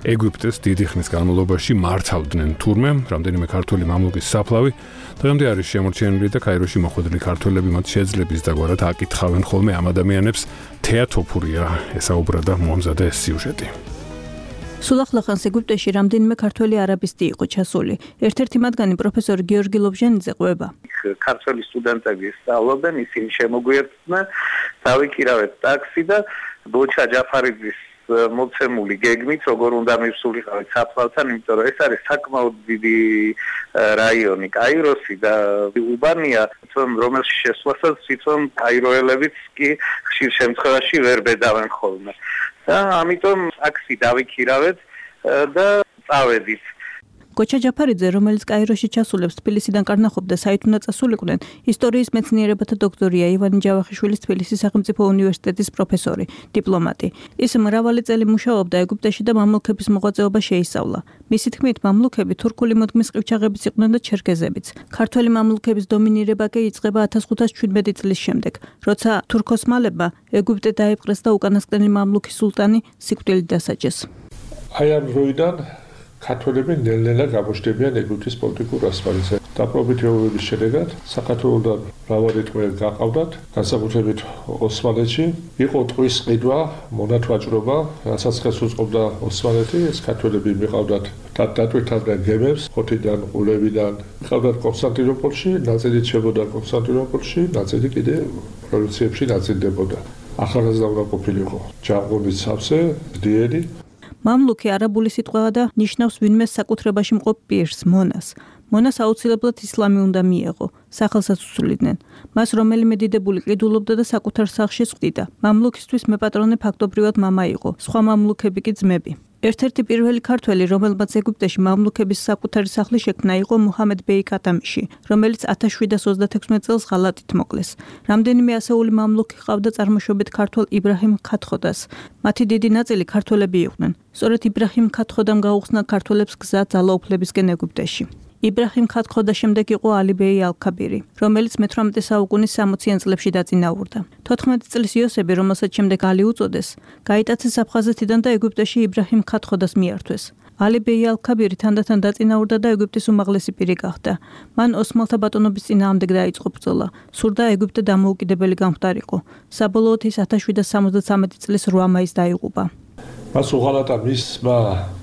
ეგვიპტეს დიდი ხნის განმავლობაში მართავდნენ თურმე, რამდენიმე ქართველი მამლუქის საფლავი დღემდე არის შემორჩენილი და კაიროში მოხვედრილი ქართველები მათ შეძლების დაგვარად აკითხავენ ხოლმე ამ ადამიანებს. თეატოფურია ესაუბრა და მოამზადა ეს სიუჟეტი. სულახლახანს ეგვიპტეში რამდენიმე ქართველი არაბისტი იყო ჩასული. ერთ-ერთი მათგანი პროფესორი გიორგი ლობჟანიძე ყვება. ქართველი სტუდენტები სწავლობენ, ისინი შემოგვიერთდნენ, დავიქირავეთ ტაქსი და ბოჩა ჯაფარიძის მოცემული გეგმით, როგორ უნდა მივსულიყავით საფლავთან, იმიტომ რომ ეს არის საკმაოდ დიდი რაიონი, კაიროსი და უბანია, რომელში შესვლასაც თვითონ კაიროელებიც კი ხშირ შემთხვევაში ვერ ბედავენ ხოლმე. და ამიტომ ტაქსი დავიქირავეთ და წავედით. გოჩა ჯაფარიძე, რომელიც კაიროში ჩასულებს თბილისიდან კარნახობდა საით უნდა წასულიყვნენ, ისტორიის მეცნიერებათა დოქტორია, ივანე ჯავახიშვილის თბილისის სახელმწიფო უნივერსიტეტის პროფესორი, დიპლომატი. ის მრავალი წელი მუშაობდა ეგვიპტეში და მამლუქების მოღვაწეობა შეისწავლა. მისი თქმით, მამლუქები თურქული მოდგმის ყივჩაღებიც იყვნენ და ჩერქეზებიც. ქართველი მამლუქების დომინირება კი იწყება ათას ხუთას შვიდმეტი წლის შემდეგ, როცა თურქ-ოსმალებმა ეგვიპტე დაიპყრეს და უკანასკნელი მამლუქი სულტანი სიკვდილით დასაჯეს. აი ამ დროიდან ქართველები ნელ-ნელა გამოჩნდებიან ეგვიპტის პოლიტიკურ ასპარეზზე. დაპყრობითი ომების შედეგად საქართველოსთან მრავალი ტყვე გაყავდათ, განსაკუთრებით ოსმალეთში. იყო ტყვის ყიდვა, მონათვაჭრობა, რასაც ხელს უწყობდა ოსმალეთი, ეს ქართველები მიყავდათ და დატვირთავდნენ გემებს, ხოთიდან, ყულევიდან. მიყავდათ კონსტანტინოპოლში, ნაწილით შებოდა კონსტანტინოპოლში, ნაწილი კიდე პროვინციებში ნაწილდებოდა. ახალგაზრდა უნდა ყოფილიყო ჯაყურის სავსე, ძლიერი. მამლუქი არაბული სიტყვაა და ნიშნავს ვინმე საკუთრებაში მყოფ პირს, მონას. მონას აუცილებლად ისლამი უნდა მიეღო, სახელსაც უსულიდნენ. მას რომელიმე დიდებული ყიდულობდა და საკუთარ სახლში სვდიდა. მამლუქისთვის მეპატრონე ფაქტობრივად მამა იყო, სხვა მამლუქები კი ძმები. ერთ-ერთი პირველი ქართველი, რომელმაც ეგვიპტეში მამლუქების საკუთარი სახლი შექმნა, იყო მუჰამედ ბეი კატამიში, რომელიც ათას შვიდას ოცდათექვსმეტ წელს ღალატით მოკლეს. რამდენიმე ასეული მამლუქი ჰყავდა წარმოშობით ქართველ იბრაჰიმ ქათხოდას. მათი დიდი ნაწილი ქართველები იყვნენ. სწორედ იბრაჰიმ ქათხოდამ გაუხსნა ქართველებს გზა ძალაუფლებისკენ ეგვიპტეში. იბრაჰიმ ქათქოდას შემდეგ იყო ალი ბეი ალ-ქაბირი, რომელიც მეთვრამეტე საუკუნის სამოციან წლებში დაწინაურდა. თოთხმეტი წლის იოსები, რომელსაც შემდეგ ალი უწოდეს, გაიტაცეს აფხაზეთიდან და ეგვიპტეში იბრაჰიმ ქათქოდას მიართვეს. ალი ბეი ალ-ქაბირი თანდათან დაწინაურდა და ეგვიპტის უმაღლესი პირი გახდა. მან ოსმალთა ბატონობის წინააღმდეგ დაიწყო ბრძოლა. სურდა ეგვიპტე დამოუკიდებელი გამხდარიყო. საბოლოოდ ის ათას შვიდსათ სამოცდათვრამეტი წლის რვა მაისს დაიღუპა. მას უღალატა მისმა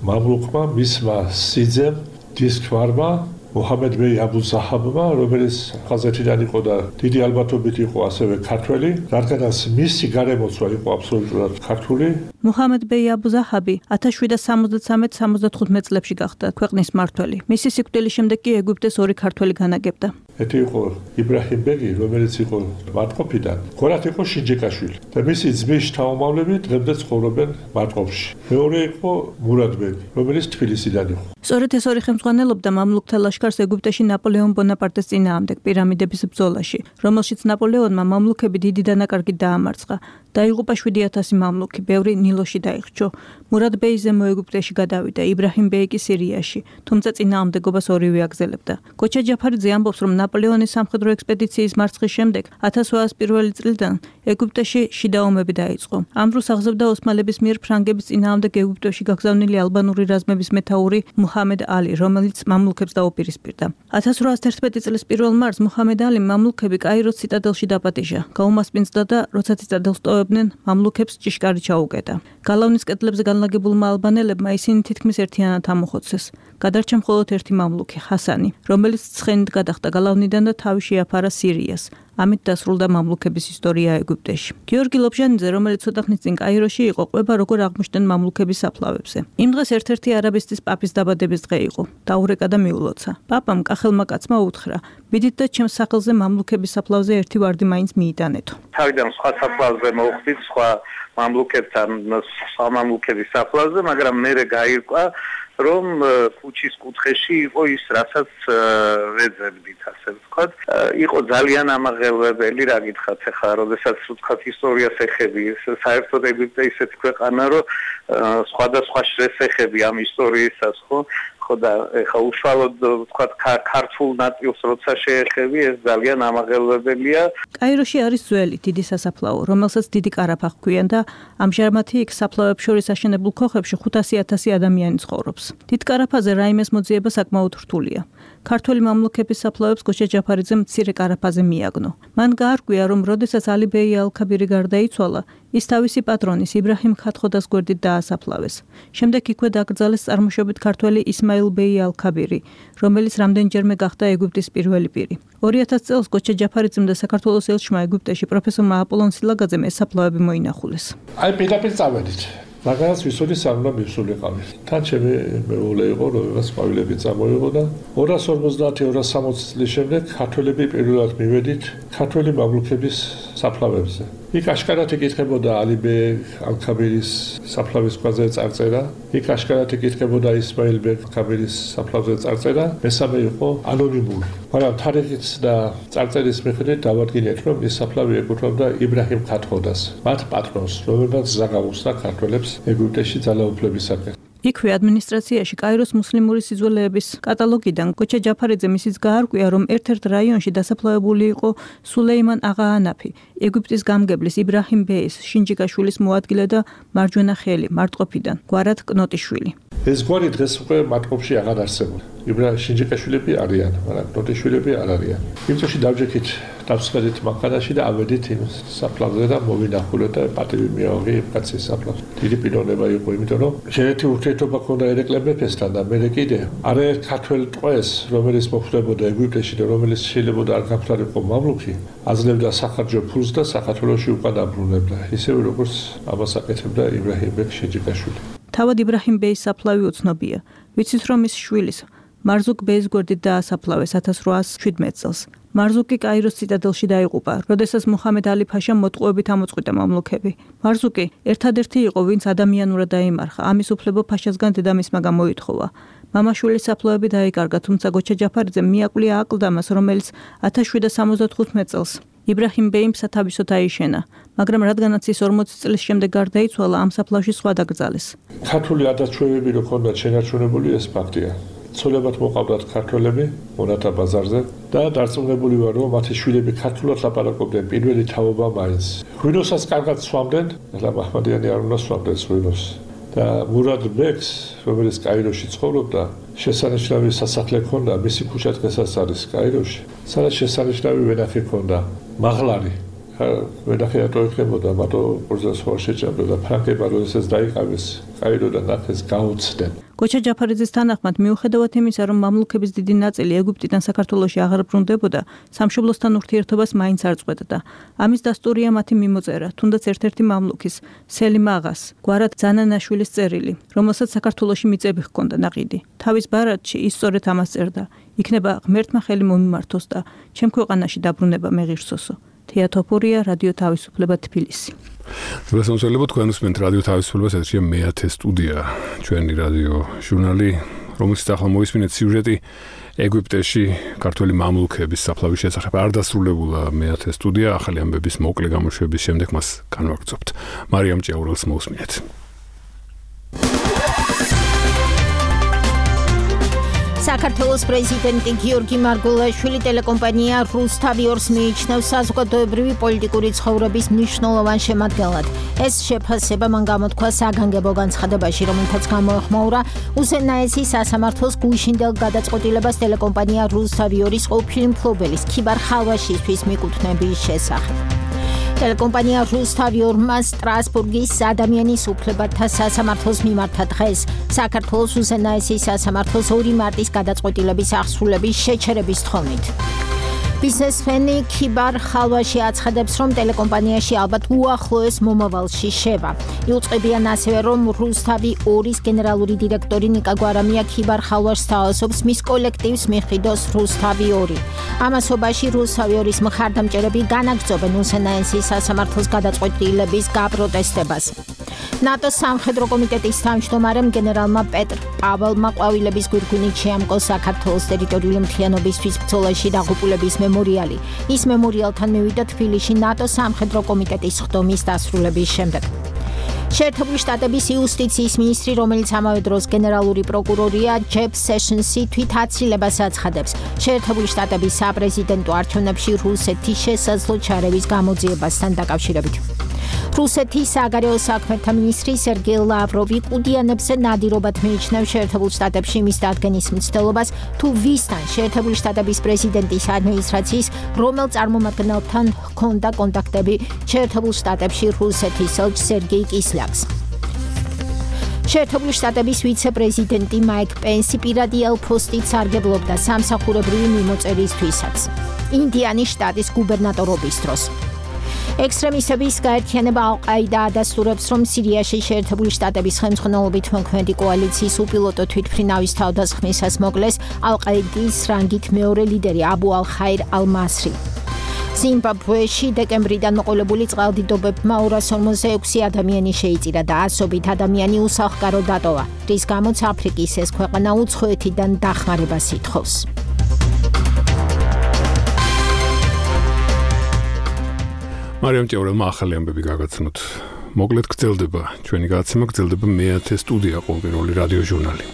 მამლუქმა, მისმა სიძემ, დისქვარმა, მუჰამედ ბეი აბუ ზაჰაბმა, რომელიც ხაზეთიდან იყო და დიდი ალბათობით იყო ასევე ქართველი, რადგანაც მისი გარემოცვა იყო აბსოლუტურად ქართული. მუჰამედ ბეი აბუ ზაჰაბი ათას შვიდსათ სამოცდათრამეტ სამოცდათხუთმეტ წლებში გახდა ქვეყნის მმართველი. მისი სიკვდილის შემდეგ კი ეგვიპტეს ორი ქართველი განაგებდა. ერთი იყო იბრაჰიმ ბეგი, რომელიც იყო მარტყოფიდან, გორათ იყო შინჯიკაშვილი და მისი ძმის შთამომავლები დღემდე ცხოვრობენ მარტყოფში. მეორე იყო მურად ბეგი, რომელიც თბილისიდან იყო. სწორედ ეს ორი ხელმძღვანელობდა მამლუქთა ლაშქარს ეგვიპტეში ნაპოლეონ ბონაპარტეს წინააღმდეგ პირამიდების ბრძოლაში, რომელშიც ნაპოლეონმა მამლუქები დიდი დანაკარგით დაამარცხა. დაიღუპა შვიდი ათასი მამლუქი, ბევრი ნილოში დაიხრჩო. მურად ბეი ზემო ეგვიპტეში გადავიდა, იბრაჰიმ ბეი კი სირიაში, თუმცა წინააღმდეგობას ორივე აგზელებდა. გოჩა ჯაფარიძე ამბობს, რომ ნაპოლეონის სამხედრო ექსპედიციის მარცხის შემდეგ ათას ოთხასი პირველი წლიდან ეგვიპტეში შიდა ომები დაიწყო. ამ დროს აღზევდა ოსმალების მიერ ფრანგების წინააღმდეგ ეგვიპტეში გაგზავნილი ალბანური რაზმების მეთაური მუჰამედ ალი, რომელიც მამლუქებს დაუპირისპირდა. ათას რვაასი თერთმეტი წლის პირველ მარტს მუჰამედ ალი მამლუქები კაიროს ციტადელში დაპატიჟა. გაუმასპინძლდა და როცა ციტადელს ტოვებდნენ, მამლუქებს ჭიშკარი ჩაუგედა. გალავნის კედლებზე განლაგებულმა ალბანელებმა ისინი თითქმის ერთიანად ამოხოცეს. გადარჩა მხოლოდ ერთი მამლუქი, ჰასანი, რომელიც ცხენით გადახტა გალავნიდან და თავი შეაფარა სირიას. ამით დასრულდა მამლუქების ისტორია ეგვიპტეში. გიორგი ლობჟანიძე, რომელიც ცოტა ხნის წინ კაიროში იყო, ყვება როგორ აღმოჩნდნენ მამლუქების საფლავებზე. იმ დღეს ერთ-ერთი არაბისტის პაპის დაბადების დღე იყო. დაურეკა და მიულოცა. პაპამ კახელმა კაცმა უთხრა: "მიდით და ჩემს სახელზე მამლუქების საფლავზე ერთი ვარდი მაინც მიიტანეთო." თავიდან სხვა საფლავზე მოხვდით, სხვა მამლუქებთან, სხვა მამლუქების საფლავზე, მაგრამ მერე გაირკვა რომ ქუჩის კუთხეში იყო ის, რასაც ვეძებდით, ასე ვთქვათ. იყო ძალიან ამაღელვებელი, რა გითხრათ ახლა, როდესაც ვთქვათ ისტორიას ეხები, საერთოდ ეგვიპტე ისეთი ქვეყანა, რომ სხვადასხვა შესახები ამ ისტორიისას, ხო? ხო და ეხლა უშუალოდ ვთქვათ ქართულ ნაწილს როცა შეეხები, ეს ძალიან ამაღელვებელია. კაიროში არის ძველი დიდი სასაფლაო, რომელსაც დიდი კარაფა ჰქვიან და ამჟამად იქ საფლავებს შორის აშენებულ ქოხებში ხუთასი ათასი ადამიანი ცხოვრობს. დიდ კარაფაზე რაიმეს მოძიება საკმაოდ რთულია. ქართველი მამლუქების საფლავებს გოჩა ჯაფარიძემ მცირე კარაფაზე მიაგნო. მან გაარკვია, რომ როდესაც ალი ბეი ალ-ქაბირი გარდაიცვალა, ის თავისი პატრონის იბრაჰიმ ქათქოდას გვერდით დაასაფლავეს. შემდეგ იქვე დაკრძალეს წარმოშობით ქართველი ისმაილ ბეი ალ-ქაბირი, რომელიც რამდენჯერმე გახდა ეგვიპტის პირველი პირი. ორი ათასი წელს გოჩა ჯაფარიძემ და საქართველოს ელჩმა ეგვიპტეში პროფესორმა აპოლონ სილაგაძემ ეს საფლავები მოინახულეს. აი პირდაპირ წავედით. მაგას ვისური სამმა მივსულიყავი. თან ჩემი მეუღლე იყო, რომელსაც ყვავილები წამოიღო და ორას ორმოცდაათი ორას სამოცი წლის შემდეგ ქართველები პირველად მივედით ქართველი მამლუქების საფლავებზე. იქ აშკარად იკითხებოდა ალი ბეი ალ-ქაბირის საფლავის ქვაზე წარწერა, იქ აშკარად იკითხებოდა ისმაილ ბეი ალ-ქაბირის საფლავზე წარწერა, მესამე იყო ანონიმური. მაგრამ თარიღის და წარწერის მიხედვით დავადგინეთ, რომ ეს საფლავი ეკუთვნოდა იბრაჰიმ ქათქოდას, მათ პატრონს, რომელმაც ზაგაუსა ქართველებს ეგვიპტეში ძალაუფლებისაკენ. იქვე ადმინისტრაციაში კაიროს მუსლიმური სიძველეების კატალოგიდან გოჩა ჯაფარიძემ ისიც გაარკვია, რომ ერთ-ერთ რაიონში დასაფლავებული იყო სულეიმან აღა ანაფი, ეგვიპტის გამგებლის იბრაჰიმ ბეის შინჯიკაშვილის მოადგილე და მარჯვენა ხელი მარტყოფიდან, გვარად კნოტიშვილი. ეს გვარი დღეს უკვე მარტყოფში აღარ არსებობს. იბრაჰიმ შინჯიკაშვილები არიან, მაგრამ კნოტიშვილები არ არიან. იმ წუთში დავჯექით დავსხდით მანქანაში და ავედით იმ საფლავზე და მოვინახულეთ და პატივი მიავღი იმ კაცის საფლავს. დიდი პიროვნება იყო, იმიტომ რომ შეერთი ურთიერთობა ჰქონდა ერეკლე მეფესთან და მე კიდე არაერთ ქართველ ტყვეს, რომელიც მოხვდებოდა ეგვიპტეში და რომელიც შეიძლება არ გამხდარიყო მამლუქი, აძლევდა სახარჯო ფულს და საქართველოში უკან დაბრუნებდა. ისევე როგორც ამას აკეთებდა იბრაჰიმ ბეი შინჯიკაშვილი. თავად იბრაჰიმ ბეის საფლავი უცნობია. ვიცით რომ ის შვილის მარზუკ ბეის გვერდით დაასაფლავეს ათას რვაასი შვიდმეტ წელს. მარზუკი კაიროს ციტადელში დაიღუპა, როდესაც მუჰამედ ალი ფაშამ მოტყუებით ამოწყვიტა მამლუქები. მარზუკი ერთადერთი იყო, ვინც ადამიანურად დაიმარხა. ამის უფლება ფაშასგან დედამისმა გამოითხოვა. მამაშვილის საფლავები დაიკარგა, თუმცა გოჩა ჯაფარიძემ მიაკვლია აკლდამას, რომელიც ათას შვიდსათ სამოცდათხუთმეტ წელს იბრაჰიმ ბეიმ სათავისოდ აიშენა, მაგრამ რადგანაც ის ორმოცი წლის შემდეგ გარდაიცვალა, ამ საფლავში სხვა დაკრძალეს. ქართული ადათჩვევები რო ქონდათ შენარჩუნებული, ეს ფაქტია. ცოლებად მოყავდათ ქართველები მონათა ბაზარზე და დარწმუნებული ვარ, რომ მათი შვილები ქართულად ლაპარაკობდნენ პირველი თაობა მაინც. ღვინოსაც კარგად სვამდნენ, ახლა მაჰმადიანი არ უნდა სვამდეს ღვინოს. და მურად ბეკს, რომელიც კაიროში ცხოვრობდა, შესანიშნავი სასახლე ჰქონდა, მისი ქუჩა დღესაც არის კაიროში. სადაც შესანიშნავი ვენახი ჰქონდა, მაღლარი. ვენახი რატო იქნებოდა, მარტო პორზას ხო შეჭამდა და ფრანგებმა როდესაც დაიყავეს კაიროდან ნახეს გაუცდნენ. გოჩა ჯაფარიძის თანახმად, მიუხედავად იმისა, რომ მამლუქების დიდი ნაწილი ეგვიპტიდან საქართველოში აღარ ბრუნდებოდა, სამშობლოსთან ურთიერთობას მაინც არ წყვეტდა. ამის დასტურია მათი მიმოწერა, თუნდაც ერთ-ერთი მამლუქის, სელიმ აღას, გვარად ზანანაშვილის წერილი, რომელსაც საქართველოში მიწები ჰქონდა ნაყიდი. თავის ბარათში ის სწორედ ამას წერდა: იქნება ღმერთმა ხელი მომიმართოს და ჩემ ქვეყანაში დაბრუნება მეღირსოსო. თეატოფორია, რადიო თავისუფლება, თბილისი. გასამწვევ თქვენ უსმენთ რადიო თავისუფლებას, ეთერშია მეათე სტუდია, ჩვენი რადიო ჟურნალი, რომელშიც ახლა მოისმინეთ სიუჟეტი ეგვიპტეში ქართველი მამლუქების საფლავის შესახებ. არ დასრულებულა მეათე სტუდია, ახალი ამბების მოკლე გამოშვების შემდეგ მას განვაგრძობთ. მარიამ ჭიაურელს მოусმინეთ. საქართველოს პრეზიდენტი გიორგი მარგველაშვილი ტელეკომპანია რუსთავიორს მიიჩნევს საზოგადოებრივი პოლიტიკური ცხოვრების მნიშვნელოვან შემადგენლად. ეს შეფასება მან გამოთქვა საგანგებო განცხადებაში, რომელთაც გამოეხმაურა უზენაესი სასამართლოს გუშინდელ გადაწყვეტილებას ტელეკომპანია რუსთავიორის ყოფილი მფლობელის ქიბარ ხალვაშისთვის მიკუთვნების შესახებ. ტელეკომპანია რუსთავიორმა სტრასბურგის ადამიანის უფლებათა სასამართლოს მიმართა დღეს საქართველოს უზენაესი სასამართლოს ორი მარტის გადაწყვეტილების აღსრულების შეჩერების თხოვნით. ბიზნესმენი ქიბარ ხალვაში აცხადებს, რომ ტელეკომპანიაში ალბათ უახლოეს მომავალში შევა. იუწყებიან ასევე, რომ რუსთავი ორის გენერალური დირექტორი ნიკა გვარამია ქიბარ ხალვაშს თავაზობს მის კოლექტივს მიხიდოს რუსთავი ორი. ამასობაში რუსთავი ორის მხარდამჭერები განაგრძობენ უზენაესი სასამართლოს გადაწყვეტილების გაპროტესტებას. ნატოს სამხედრო კომიტეტის თავმჯდომარემ გენერალმა პეტრ პაველმა ყვავილების გვირგვინით შეამკო საქართველოს ტერიტორიული მთლიანობისთვის ბრძოლაში დაღუპულების მემორიალი. ის მემორიალთან მივიდა თბილისში ნატოს სამხედრო კომიტეტის ხდომის დასრულების შემდეგ. შეერთებული შტატების იუსტიციის მინისტრი, რომელიც ამავე დროს გენერალური პროკურორია, ჯეფ სეშენსი თვით აცილებას აცხადებს შეერთებული შტატების საპრეზიდენტო არჩევნებში რუსეთის შესაძლო ჩარევის გამოძიებასთან დაკავშირებით. რუსეთის საგარეო საქმეთა მინისტრი სერგეი ლავროვი ყუდიანებზე ნადირობად მიიჩნევს შეერთებულ შტატებში მის დადგენის მცდელობას, თუ ვისთან შეერთებული შტატების პრეზიდენტის ადმინისტრაციის რომელ წარმომადგენელთან ჰქონდა კონტაქტები შეერთებულ შტატებში რუსეთის ელჩ სერგეი კისლაკს. შეერთებული შტატების ვიცე-პრეზიდენტი მაიკ პენსი პირადი ელფოსტით სარგებლობდა სამსახურებრივი მიმოწერისთვისაც ინდიანის შტატის გუბერნატორობის დროს. ექსტრემისტების გაერთიანება ალ-ყაიდა ადასტურებს, რომ სირიაში შეერთებული შტატების ხელმძღვანელობით მოქმედი კოალიციის უპილოტო თვითმფრინავის თავდასხმისას მოკლეს ალ-ყაიდის რანგით მეორე ლიდერი აბუ ალ-ხაირ ალ-მასრი. ზიმბაბვეში დეკემბრიდან მოყოლებული წყალდიდობებმა ორას ორმოცდაექვსი ადამიანი შეიწირა და ასობით ადამიანი უსახლკარო დატოვა, რის გამოც აფრიკის ეს ქვეყანა უცხოეთიდან დახმარებას ითხოვს. მარიამ ჭიაურელმა ახალი ამბები გაგაცნოთ. მოკლედ გრძელდება ჩვენი გადაცემა, გრძელდება მეათე სტუდია, ყოველდღიური რადიო ჟურნალი.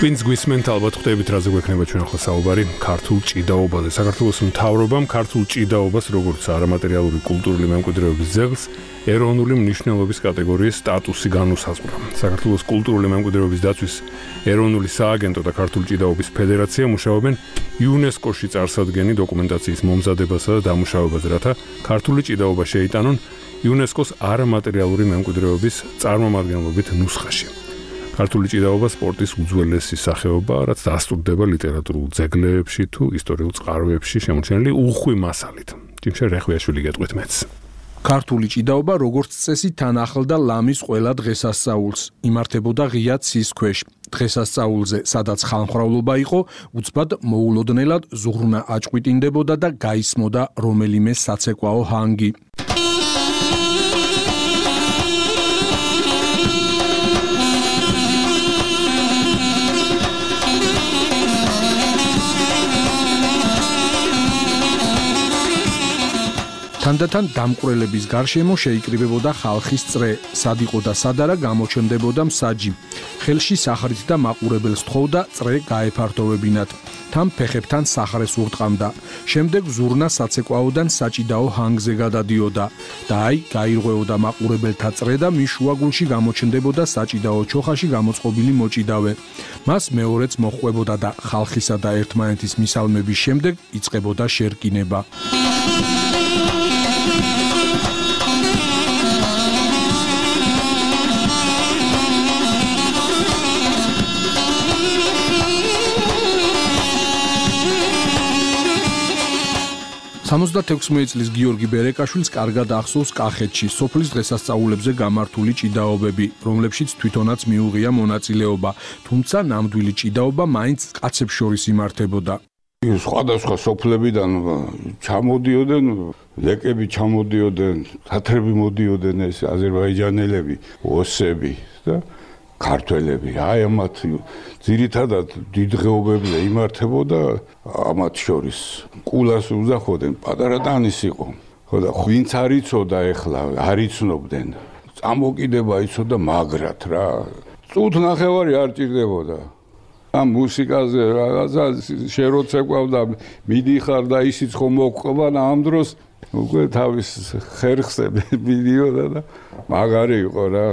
ვინც გვისმენთ, ალბათ ხვდებით, რაზე გვექნება ჩვენ ახლა საუბარი, ქართულ ჭიდაობაზე. საქართველოს მთავრობამ ქართულ ჭიდაობას, როგორც არამატერიალური კულტურული მემკვიდრეობის ძეგლს, ეროვნული მნიშვნელობის კატეგორიის სტატუსი განუსაზღვრა. საქართველოს კულტურული მემკვიდრეობის დაცვის ეროვნული სააგენტო და ქართული ჭიდაობის ფედერაცია მუშაობენ იუნესკოში წარსადგენი დოკუმენტაციის მომზადებასა და დამუშავებაზე, რათა ქართული ჭიდაობა შეიტანონ იუნესკოს არამატერიალური მემკვიდრეობის წარმომადგენლობით ნუსხაში. ქართული ჭიდაობა სპორტის უძველესი სახეობა, რაც დასტურდება ლიტერატურულ ძეგლებში თუ ისტორიულ წყაროებში შემორჩენილი უხვი მასალით. ჯიმშე რეხვიაშვილი გეტყვით მეც. ქართული ჭიდაობა როგორც წესი თან ახლდა ლამის ყველა დღესასწაულს, იმართებოდა ღია ცის ქვეშ. დღესასწაულზე, სადაც ხალმხრავლობა იყო, უცბად მოულოდნელად ზუღრნა აჭყვიტინდებოდა და გაისმოდა რომელიმე საცეკვაო ჰანგი. თანდათან დამკვრელების გარშემო შეიკრიბებოდა ხალხის წრე, სად იყო და სად არა გამოჩნდებოდა მსაჯი. ხელში სახრით და მაყურებელს თხოვდა წრე გაეფართოვებინათ. თან ფეხებთან სახრეს ურტყამდა. შემდეგ ზურნა საცეკვაოდან საჭიდაო ჰანგზე გადადიოდა და აი გაირღვეოდა მაყურებელთა წრე და მის შუაგულში გამოჩნდებოდა საჭიდაო ჩოხაში გამოწყობილი მოჭიდავე. მას მეორეც მოჰყვებოდა და ხალხისა და ერთმანეთის მისალმების შემდეგ იწყებოდა შერკინება. სამოცდათექვსმეტი წლის გიორგი ბერეკაშვილს კარგად ახსოვს კახეთში სოფლის დღესასწაულებზე გამართული ჭიდაობები, რომლებშიც თვითონაც მიუღია მონაწილეობა, თუმცა ნამდვილი ჭიდაობა მაინც კაცებს შორის იმართებოდა. სხვადასხვა სოფლებიდან ჩამოდიოდნენ, ლეკები ჩამოდიოდნენ, თათრები მოდიოდნენ, ეს აზერბაიჯანელები, ოსები და ქართველები. აი ამათ ძირითადად დიდღეობებზე იმართებოდა ამათ შორის. კულას უზახოდნენ, პატარა ტანის იყო. ხო და ვინც არ იცოდა ეხლა, არ იცნობდნენ. წამოკიდება იცოდა მაგრად რა. წუთ ნახევარი არ ჭირდებოდა. ამ მუსიკაზე რაღაცა შეროცეკვავდა, მიდიხარ და ისიც ხომ მოყვან ამ დროს უკვე თავის ხერხზე მიდიოდა და მაგარი იყო რა.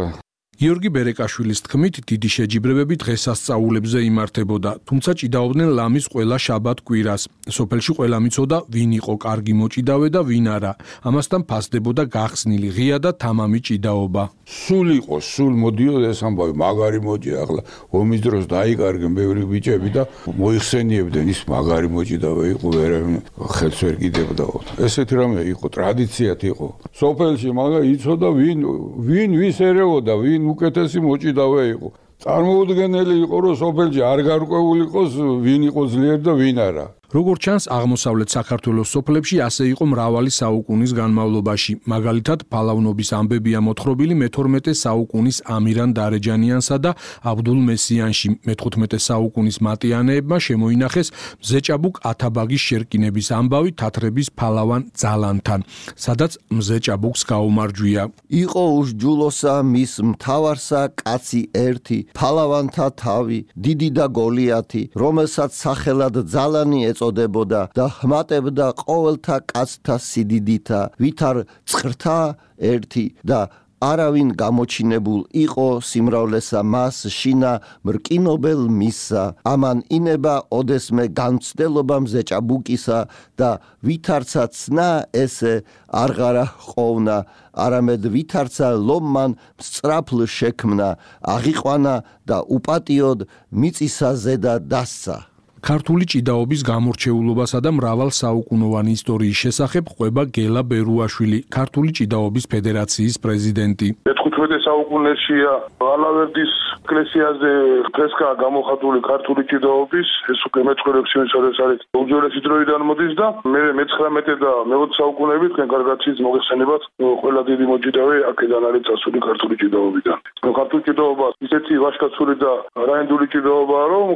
გიორგი ბერეკაშვილის თქმით, დიდი შეჯიბრებები დღესასწაულებზე იმართებოდა, თუმცა ჭიდაობდნენ ლამის ყველა შაბათ კვირას. სოფელში ყველა მიცოდა, ვინ იყო კარგი მოჭიდავე და ვინ არა. ამასთან ფასდებოდა გახსნილი ღია და თამამი ჭიდაობა. სულ იყო, სულ მოდიოდა ეს ამბავი, მაგარი მოჭი ახლა ომის დროს დაიკარგენ ბევრი ბიჭები და მოიხსენიებდნენ, ის მაგარი მოჭიდავე იყო, ვერავინ ხელს ვერ კიდებდა. ესეთი რამე იყო, ტრადიციად იყო. სოფელში მაგა იცოდა, ვინ ვინ ვის ერეოდა, ვინ უკეთესი მოჭიდავე იყო. წარმოუდგენელი იყო, რომ სოფელში არ გარკვეული იყოს, ვინ იყო ძლიერი და ვინ არა. როგორც ჩანს, აღმოსავლეთ საქართველოს სოფლებში ასე იყო მრავალი საუკუნის განმავლობაში. მაგალითად, ფალავნობის ამბებია მოთხრობილი მეთორმეტე საუკუნის ამირან დარეჯანიანსა და აბდულ მესიანში. მეთხუთმეტე საუკუნის მატიანეებმა შემოინახეს მზეჭაბუკ ათაბაგის შერკინების ამბავი თათრების ფალავან ძალანთან, სადაც მზეჭაბუკს გაუმარჯვია. იყო უშჯულოსა მის მთავარსა კაცი ერთი, ფალავანთა თავი, დიდი და გოლიათი, რომელსაც სახელად ძალანი ეწოდებოდა და ჰმატებდა ყოველთა კაცთა სიდიდითა, ვითარ წხრთა ერთი და არავინ გამოჩინებულ იყო სიმრავლესა მას შინა მრკინობელ მისსა. ამან ინება ოდესმე განცდელობა მზეჭაბუკისა და ვითარცა ცნა ესე არღარა ყოფნა, არამედ ვითარცა ლომმან სწრაფლ შექმნა, აღიყვანა და უპატიოდ მიწისა ზედა დასცა. ქართული ჭიდაობის გამორჩეულობასა და მრავალ საუკუნოვანი ისტორიის შესახებ ყვება გელა ბერუაშვილი, ქართული ჭიდაობის ფედერაციის პრეზიდენტი. მეთხუთმეტე საუკუნეშია ალავერდის ეკლესიაზე ფრესკა გამოხატული ქართული ჭიდაობის, ეს უკვე მეცხრე-ექვსი წელს არის უძველესი დროიდან მოდის და მე მეცხრამეტე და მეოცე საუკუნეები თქვენ კარგად იცით მოგეხსენებათ, ყველა დიდი მოჭიდავე აქედან არის წასული ქართული ჭიდაობიდან. ქართული ჭიდაობა ისეთი ვაჟკაცური და რაინდული ჭიდაობაა, რომ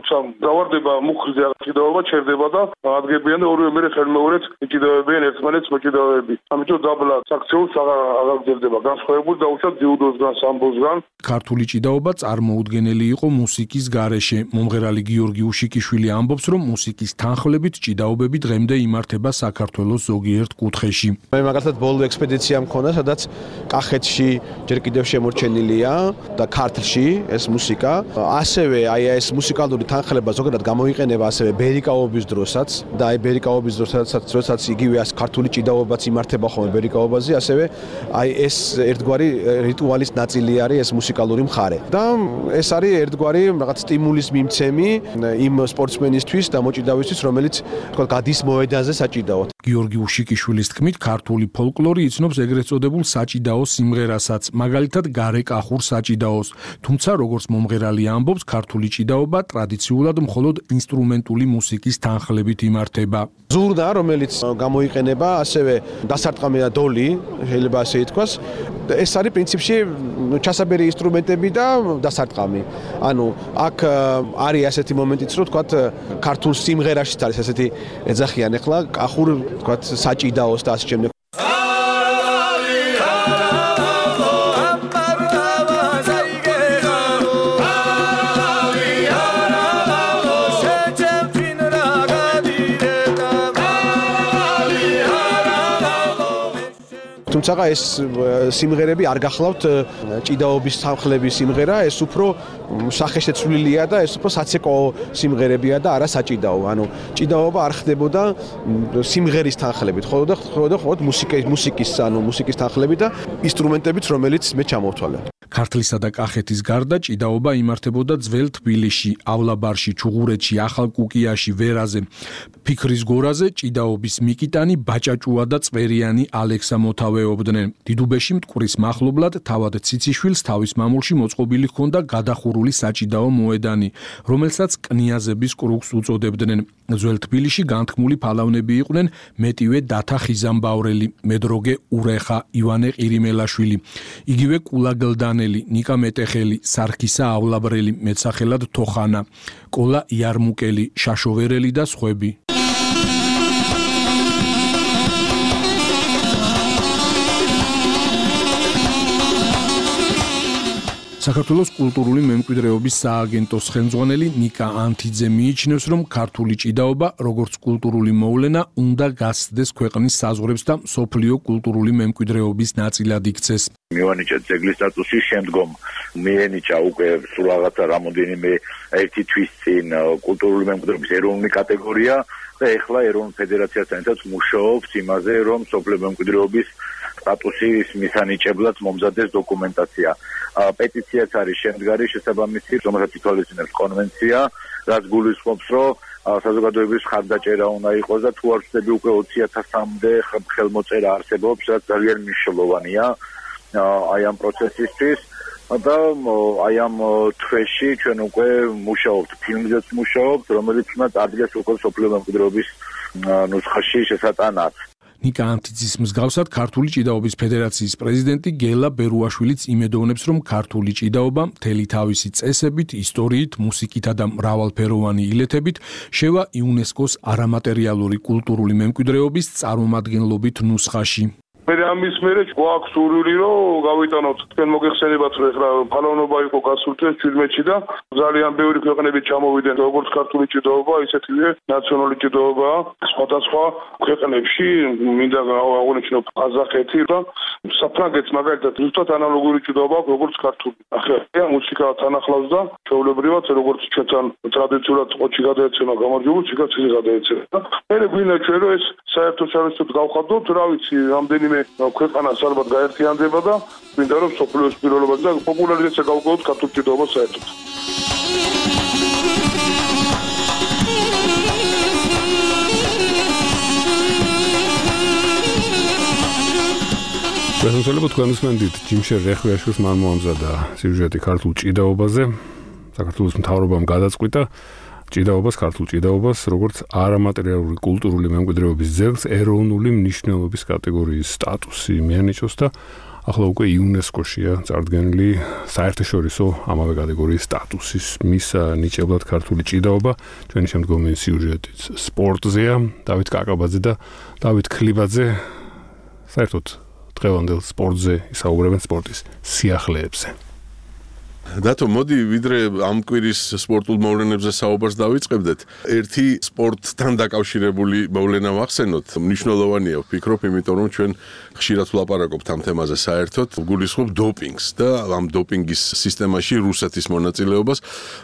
დავარდება მუხლზე ჭიდაობა ჩერდება და ადგებიან და ორივე მერე ხელმეორედ ჭიდაობებიან ერთმანეთს მოჭიდავეები. ამიტომ დაბლა საქციელს აღარ გძებდება განსხვავებული დაუშვათ ძიუდოსგან, სამბოსგან. ქართული ჭიდაობა წარმოუდგენელი იყო მუსიკის გარეშე. მომღერალი გიორგი უშიკიშვილი ამბობს, რომ მუსიკის თანხლებით ჭიდაობები დღემდე იმართება საქართველოს ზოგიერთ კუთხეში. მე მაგალითად ბოლო ექსპედიცია მქონდა, სადაც კახეთში ჯერ კიდევ შემორჩენილია და ქართლში ეს მუსიკა. ასევე აი ეს მუსიკალური თანხლება ზოგადად გამოიყენება ასევე ბერიკაობის დროსაც და აი ბერიკაობის დროსაც როდესაც იგივე ეს ქართული ჭიდაობაც იმართება ხოლმე ბერიკაობაზე, ასევე აი ეს ერთგვარი რიტუალის ნაწილი არის ეს მუსიკალური მხარე. და ეს არის ერთგვარი რაღაც სტიმულის მიმცემი იმ სპორტსმენისთვის და მოჭიდავისთვის, რომელიც თქვა გადის მოედანზე საჭიდაოდ. გიორგი უშიკიშვილის თქმით, ქართული ფოლკლორი იცნობს ეგრეთ წოდებულ საჭიდაო სიმღერასაც, მაგალითად გარეკახურ საჭიდაოს. თუმცა როგორც მომღერალი ამბობს, ქართული ჭიდაობა ტრადიციულად მხოლოდ ინსტრუმენტული მუსიკის თანხლებით იმართება. ზურნა, რომელიც გამოიყენება, ასევე დასარტყამი და დოლი, შეიძლება ასე ითქვას, ეს არის პრინციპში ჩასაბერი ინსტრუმენტები და დასარტყამი. ანუ აქ არის ასეთი მომენტიც, რომ თქვა ქართულ სიმღერაშიც არის ასეთი ეძახიან ახლა კახურ თქვა საჭიდაოს და ასე შემდეგ. თუმცა ეს სიმღერები არ გახლავთ ჭიდაობის თანხლების სიმღერა, ეს უფრო სახეშეცვლილია და ეს უფრო საცეკო სიმღერებია და არა საჭიდაო. ანუ ჭიდაობა არ ხდებოდა სიმღერის თანხლებით, ხოლო და ხოლო ხოლმე მუსიკის მუსიკის ანუ მუსიკის თანხლებით და ინსტრუმენტებით, რომელიც მე ჩამოვთვალე. ქართლისა და კახეთის გარდა ჭიდაობა იმართებოდა ძველ თბილისში, ავლაბარში, ჩუღურეთში, ახალ კუკიაში, ვერაზე. ფიქრის გორაზე ჭიდაობის მიკიტანი, ბაჭაჭუა და წვერიანი ალექსა მოთავეობდნენ. დიდუბეში მტკვრის მახლობლად თავად ციციშვილს თავის მამულში მოწყობილი ჰქონდა გადახურული საჭიდაო მოედანი, რომელსაც კნიაზების კრუგს უწოდებდნენ. ძველ თბილისში განთქმული ფალავნები იყვნენ მეტივე დათა ხიზამბავრელი, მედროგე ურეხა, ივანე ყირიმელაშვილი, იგივე კულაგლდანელი, ნიკა მეტეხელი, სარქისა ავლაბრელი, მეცახელად თოხანა, კოლა იარმუკელი, შაშოვერელი და სხვები. საქართველოს კულტურული მემკვიდრეობის სააგენტოს ხელმძღვანელი ნიკა ანთიძე მიიჩნევს, რომ ქართული ჭიდაობა, როგორც კულტურული მოვლენა, უნდა გასცდეს ქვეყნის საზღვრებს და მსოფლიო კულტურული მემკვიდრეობის ნაწილად იქცეს. მივანიჭა ძეგლის სტატუსის შემდგომ მიენიჭა უკვე სულ რაღაცა რამოდენიმე ერთი თვის წინ კულტურული მემკვიდრეობის ეროვნული კატეგორია და ეხლა ეროვნულ ფედერაციასთან ერთად მუშაობს იმაზე, რომ მსოფლიო მემკვიდრეობის სტატუსის მისანიჭებლად მომზადდეს დოკუმენტაცია. პეტიციაც არის შემდგარი შესაბამისი, რომელსაც ითვალისწინებს კონვენცია, რაც გულისხმობს, რომ საზოგადოების ხარდაჭერა უნდა იყოს და თუ არ ვცდები უკვე ოცი ათასამდე ხელმოწერა არსებობს, რაც ძალიან მნიშვნელოვანია აი ამ პროცესისთვის. და აი ამ თვეში ჩვენ უკვე მუშაობთ, ფილმზეც მუშაობთ, რომელიც უნდა წარდგეს უკვე მსოფლიო მემკვიდრეობის ნუსხაში შესატანად. ნიკა ანთიძის მსგავსად ქართული ჭიდაობის ფედერაციის პრეზიდენტი გელა ბერუაშვილიც იმედოვნებს, რომ ქართული ჭიდაობა მთელი თავისი წესებით, ისტორიით, მუსიკითა და მრავალფეროვანი ილეთებით შევა იუნესკოს არამატერიალური კულტურული მემკვიდრეობის წარმომადგენლობით ნუსხაში. მე ამის მერე გვაქვს სურვილი, რომ გავიტანოთ თქვენ მოგეხსენებათ, რომ ეხლა ფალავნობა იყო გასული შვიდმეტში და ძალიან ბევრი ქვეყნები ჩამოვიდნენ, როგორც ქართული ჭიდაობა, ისეთივე ნაციონალური ჭიდაობა სხვადასხვა ქვეყნებში, მინდა აღნიშნო ყაზახეთი და საფრანგეთს მაგალითად ზუსტად ანალოგური ჭიდაობა აქვს, როგორც ქართული. ახლა მუსიკა თანახლავს და ჩვეულებრივად, როგორც ჩვენთან ტრადიციულად ყოჩი გადაეცემა გამარჯვებული, მუსიკაც ისე გადაეცემა. და მე გვინდა ჩვენ რომ ეს საერთო-საერთოდ გავხადოთ, რა ვიცი, რამდენიმე ქვეყანას ალბათ გაერთიანდება და მინდა რომ სოფლიოს პირველობაზე და პოპულარიზაცია გავუგოთ ქართულ ჭიდაობას საერთოდ. პრეზენტაციები თქვენ უსმენთ ჯიმშერ რეხვიაშვილს მან მოამზადა სიუჟეტი ქართულ ჭიდაობაზე. საქართველოს მთავრობამ გადაწყვიტა ჭიდაობას, ქართულ ჭიდაობას, როგორც არამატერიალური კულტურული მემკვიდრეობის ძეგლს ეროვნული მნიშვნელობის კატეგორიის სტატუსი მიანიჭოს და ახლა უკვე იუნესკოშია წარდგენილი საერთაშორისო ამავე კატეგორიის სტატუსის მისა ნიჭებლად ქართული ჭიდაობა. ჩვენი შემდგომი სიუჟეტიც სპორტზეა, დავით კაკაბაძე და დავით ქლიბაძე საერთოდ დღევანდელ სპორტზე ისაუბრებენ სპორტის სიახლეებზე. დათო, მოდი ვიდრე ამ კვირის სპორტულ მოვლენებზე საუბარს დავიწყებდეთ. ერთი სპორტთან დაკავშირებული მოვლენა ვახსენოთ. მნიშვნელოვანია, ვფიქრობ, იმიტომ რომ ჩვენ ხშირად ვლაპარაკობთ ამ თემაზე საერთოდ. გულისხმობ დოპინგს და ამ დოპინგის სისტემაში რუსეთის მონაწილეობას.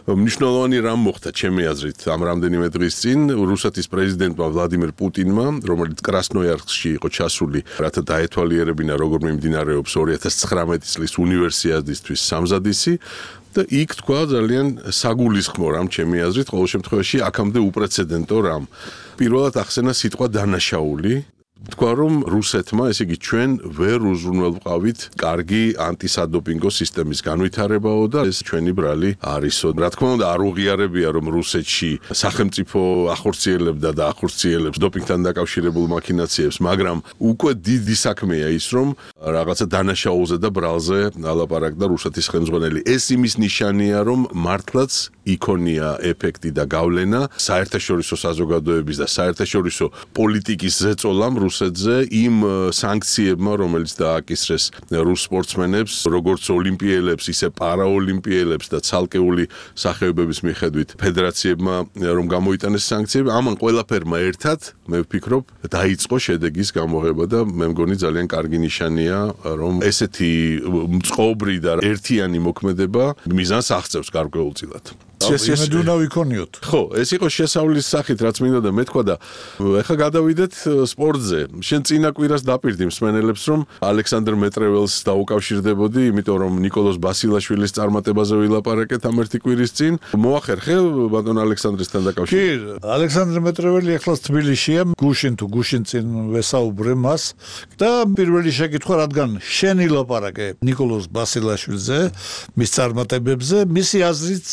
მნიშვნელოვანი რამ მოხდა ჩემი აზრით ამ რამდენიმე დღის წინ რუსეთის პრეზიდენტმა ვლადიმერ პუტინმა, რომელიც კრასნოიარსკში იყო ჩასული, რათა დაეთვალიერებინა როგორ მიმდინარეობს ორი ათას ცხრამეტი წლის უნივერსიადისთვის სამზადისი. და იქ თქვა ძალიან საგულისხმო რამ ჩემი აზრით, ყოველ შემთხვევაში აქამდე უპრეცედენტო რამ. პირველად ახსენა სიტყვა დანაშაული. თქვა რომ რუსეთმა, ესე იგი ჩვენ ვერ უზრუნველყავით კარგი ანტისადოპინგო სისტემის განვითარებაო და ეს ჩვენი ბრალი არისო. რა თქმა უნდა, არ უღიარებია რომ რუსეთში სახელმწიფო ახორციელებდა და ახორციელებს დოპინგთან დაკავშირებულ მაქინაციებს, მაგრამ უკვე დიდი საქმეა ის რომ რაღაცა დანაშაულზე და ბრალზე ალაპარაკდა რუსეთის ხელმძღვანელი. ეს იმის ნიშანია, რომ მართლაც იქონია ეფექტი და გავლენა საერთაშორისო საზოგადოების და საერთაშორისო პოლიტიკის ზეწოლამ რუსეთზე იმ სანქციებმა, რომელიც დააკისრეს რუს სპორტსმენებს, როგორც ოლიმპიელებს, ისე პარაოლიმპიელებს და ცალკეული სახეობების მიხედვით ფედერაციებმა რომ გამოიტანეს სანქციები, ამან ყველაფერმა ერთად, მე ვფიქრობ, დაიწყო შედეგის გამოღება და მე მგონი ძალიან კარგი ნიშანია, რომ ესეთი მწყობრი და ერთიანი მოქმედება მიზანს აღწევს გარკვეულწილად. იმედი უნდა ვიქონიოთ. ხო, ეს იყო შესავლის სახით, რაც მინდა და მეთქვა და ეხლა გადავიდეთ სპორტზე. შენ წინა კვირას დაპირდი მსმენელებს, რომ ალექსანდრ მეტრეველს დაუკავშირდებოდი, იმიტომ რომ ნიკოლოზ ბასილაშვილის წარმატებაზე ვილაპარაკეთ ამ ერთი კვირის წინ. მოახერხე ბატონ ალექსანდრესთან დაკავშირებით? კი, ალექსანდრ მეტრეველი ეხლა თბილისშია, გუშინ თუ გუშინ წინ ვესაუბრე მას და პირველი შეკითხვა, რადგან შენ ილაპარაკე ნიკოლოზ ბასილაშვილზე, მის წარმატებებზე, მისი აზრიც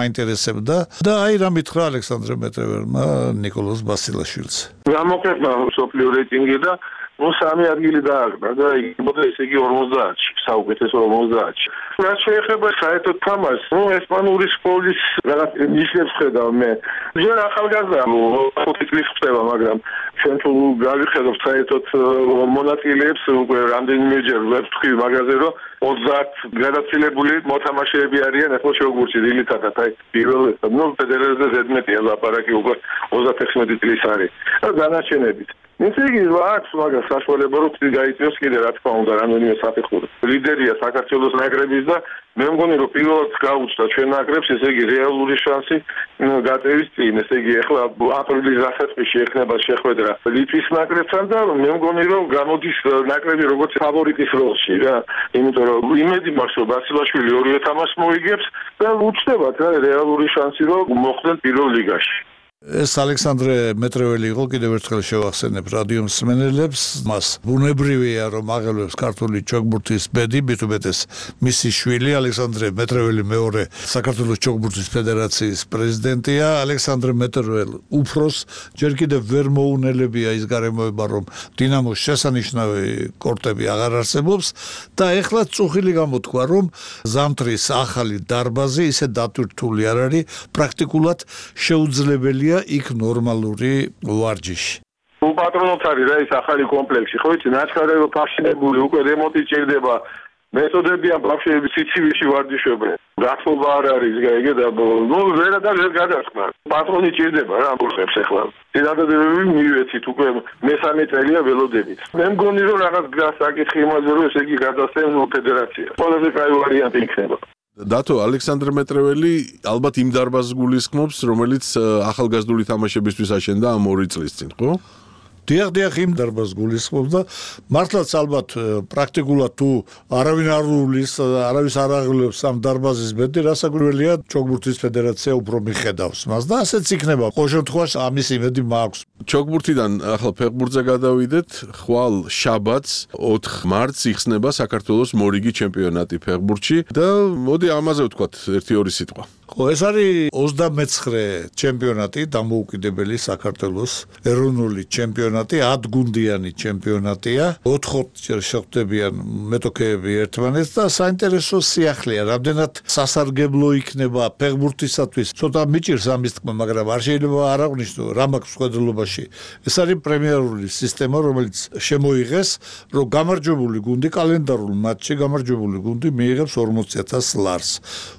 მაინტერესებდა და აი რა მითხრა ალექსანდრ მეტრეველმა ნიკოლოზ ბასილაშვილს. გამოკეთდა სოფლიო რეიტინგი და ნუ სამი ადგილი დააგდა და იქნებოდა ესე იგი ორმოცდაათში, საუკეთესო ორმოცდაათში. რაც შეეხება საერთოდ თამაშს, ნუ ესპანური სკოლის რაღაც ნიშნებს ხედავ მე. ჯერ ახალგაზრდა ხუთი წლის ხდება, მაგრამ ჩვენ თუ გავიხედავთ საერთოდ მონაწილეებს, უკვე რამდენიმეჯერ ვებთხი მაგაზე, რომ ოცდაათ გადაცილებული მოთამაშეები არიან ახლა შუაგურში დილითადაც, აი პირველ ნუ ფედერაციაზე ზედმეტია ლაპარაკი უკვე ოცდათექვსმეტი წლის არის. და დანარჩენებით ესე იგი აქვს მაგას საშუალება რომ გაიწვიოს კიდე რა თქმა უნდა რამდენიმე საფეხური. ლიდერია საქართველოს ნაკრების და მე მგონი რომ პირველად გაუჩნდა ჩვენ ნაკრებს ესე იგი რეალური შანსი გაწევის წინ. ესე იგი ახლა აპრილის დასაწყისში ექნება შეხვედრა ლიტვის ნაკრებთან და მე მგონი რომ გამოდის ნაკრები როგორც ფავორიტის როლში რა. იმიტომ რომ იმედი მაქვს რომ ბასილაშვილი ორივე თამაშს მოიგებს და უჩნდებათ რა რეალური შანსი რომ მოხვდნენ პირველ ლიგაში. ეს ალექსანდრე მეტრეველი იყო, კიდევ ერთხელ შევახსენებ რადიო მსმენელებს, მას ბუნებრივია რომ აღელვებს ქართული ჩოგბურთის ბედი, მით უმეტეს მისი შვილი ალექსანდრე მეტრეველი მეორე საქართველოს ჩოგბურთის ფედერაციის პრეზიდენტია. ალექსანდრე მეტრეველ უფროს ჯერ კიდევ ვერ მოუნელებია ის გარემოება, რომ დინამოს შესანიშნავი კორტები აღარ არსებობს და ეხლა წუხილი გამოთქვა, რომ ზამთრის ახალი დარბაზი ისე დატვირთული არ არის, პრაქტიკულად შეუძლებელია იქ ნორმალური ვარჯიში. უპატრონოთ არის რა ის ახალი კომპლექსი, ხო იცი, ნაჩქარევი ფაშინებული, უკვე რემონტი ჭირდება. მეთოდებიან ბავშვები სიცივიში ვარჯიშობენ. გათხოვა არ არის გაიგე და ნუ ვერა და ვერ გადასხმა. პატრონი ჭირდება რა ამბობს ახლა. ძინადადებები მივეცით უკვე მესამე წელია ველოდებით. მე მგონი რომ რაღაც გასაკითხი იმაზე რომ ესე იგი გადასცენ ფედერაცია. ყველაზე კაი ვარიანტი იქნება. დათო ალექსანდრ მეტრეველი ალბათ იმ დარბაზს გულისხმობს, რომელიც ახალგაზრდული თამაშებისთვის აშენდა ამ ორი წლის წინ, ხო? დიახ, დიახ, იმ დარბაზს გულისხმობს და მართლაც ალბათ პრაქტიკულად თუ არავინ არ უვლის, არავის არ აღელვებს ამ დარბაზის ბედი, რასაკვირველია ჩოგბურთის ფედერაცია უფრო მიხედავს მას და ასეც იქნება. ყოველ შემთხვევაში ამის იმედი მაქვს. ჩოგბურთიდან ახლა ფეხბურთზე გადავიდეთ. ხვალ შაბათს ოთხ მარტს იხსნება საქართველოს მორიგი ჩემპიონატი ფეხბურთში და მოდი ამაზე ვთქვათ ერთი ორი სიტყვა. ხო, ეს არის ოცდამეცხრე ჩემპიონატი, დამოუკიდებელი საქართველოს ეროვნული ჩემპიონატი, ათგუნდიანი ჩემპიონატია. ოთხჯერ შეხვდებიან მეტოქეები ერთმანეთს და საინტერესო სიახლეა, რამდენად სასარგებლო იქნება ფეხბურთისათვის. ცოტა მიჭირს ამის თქმა, მაგრამ არ შეიძლება არ აღნიშნო რა მაქვს მხედველობაში. ეს არის პრემიერული სისტემა, რომელიც შემოიღეს, რომ გამარჯვებული გუნდი კალენდარულ მატჩში გამარჯვებული გუნდი მიიღებს ორმოცი ათას ლარს.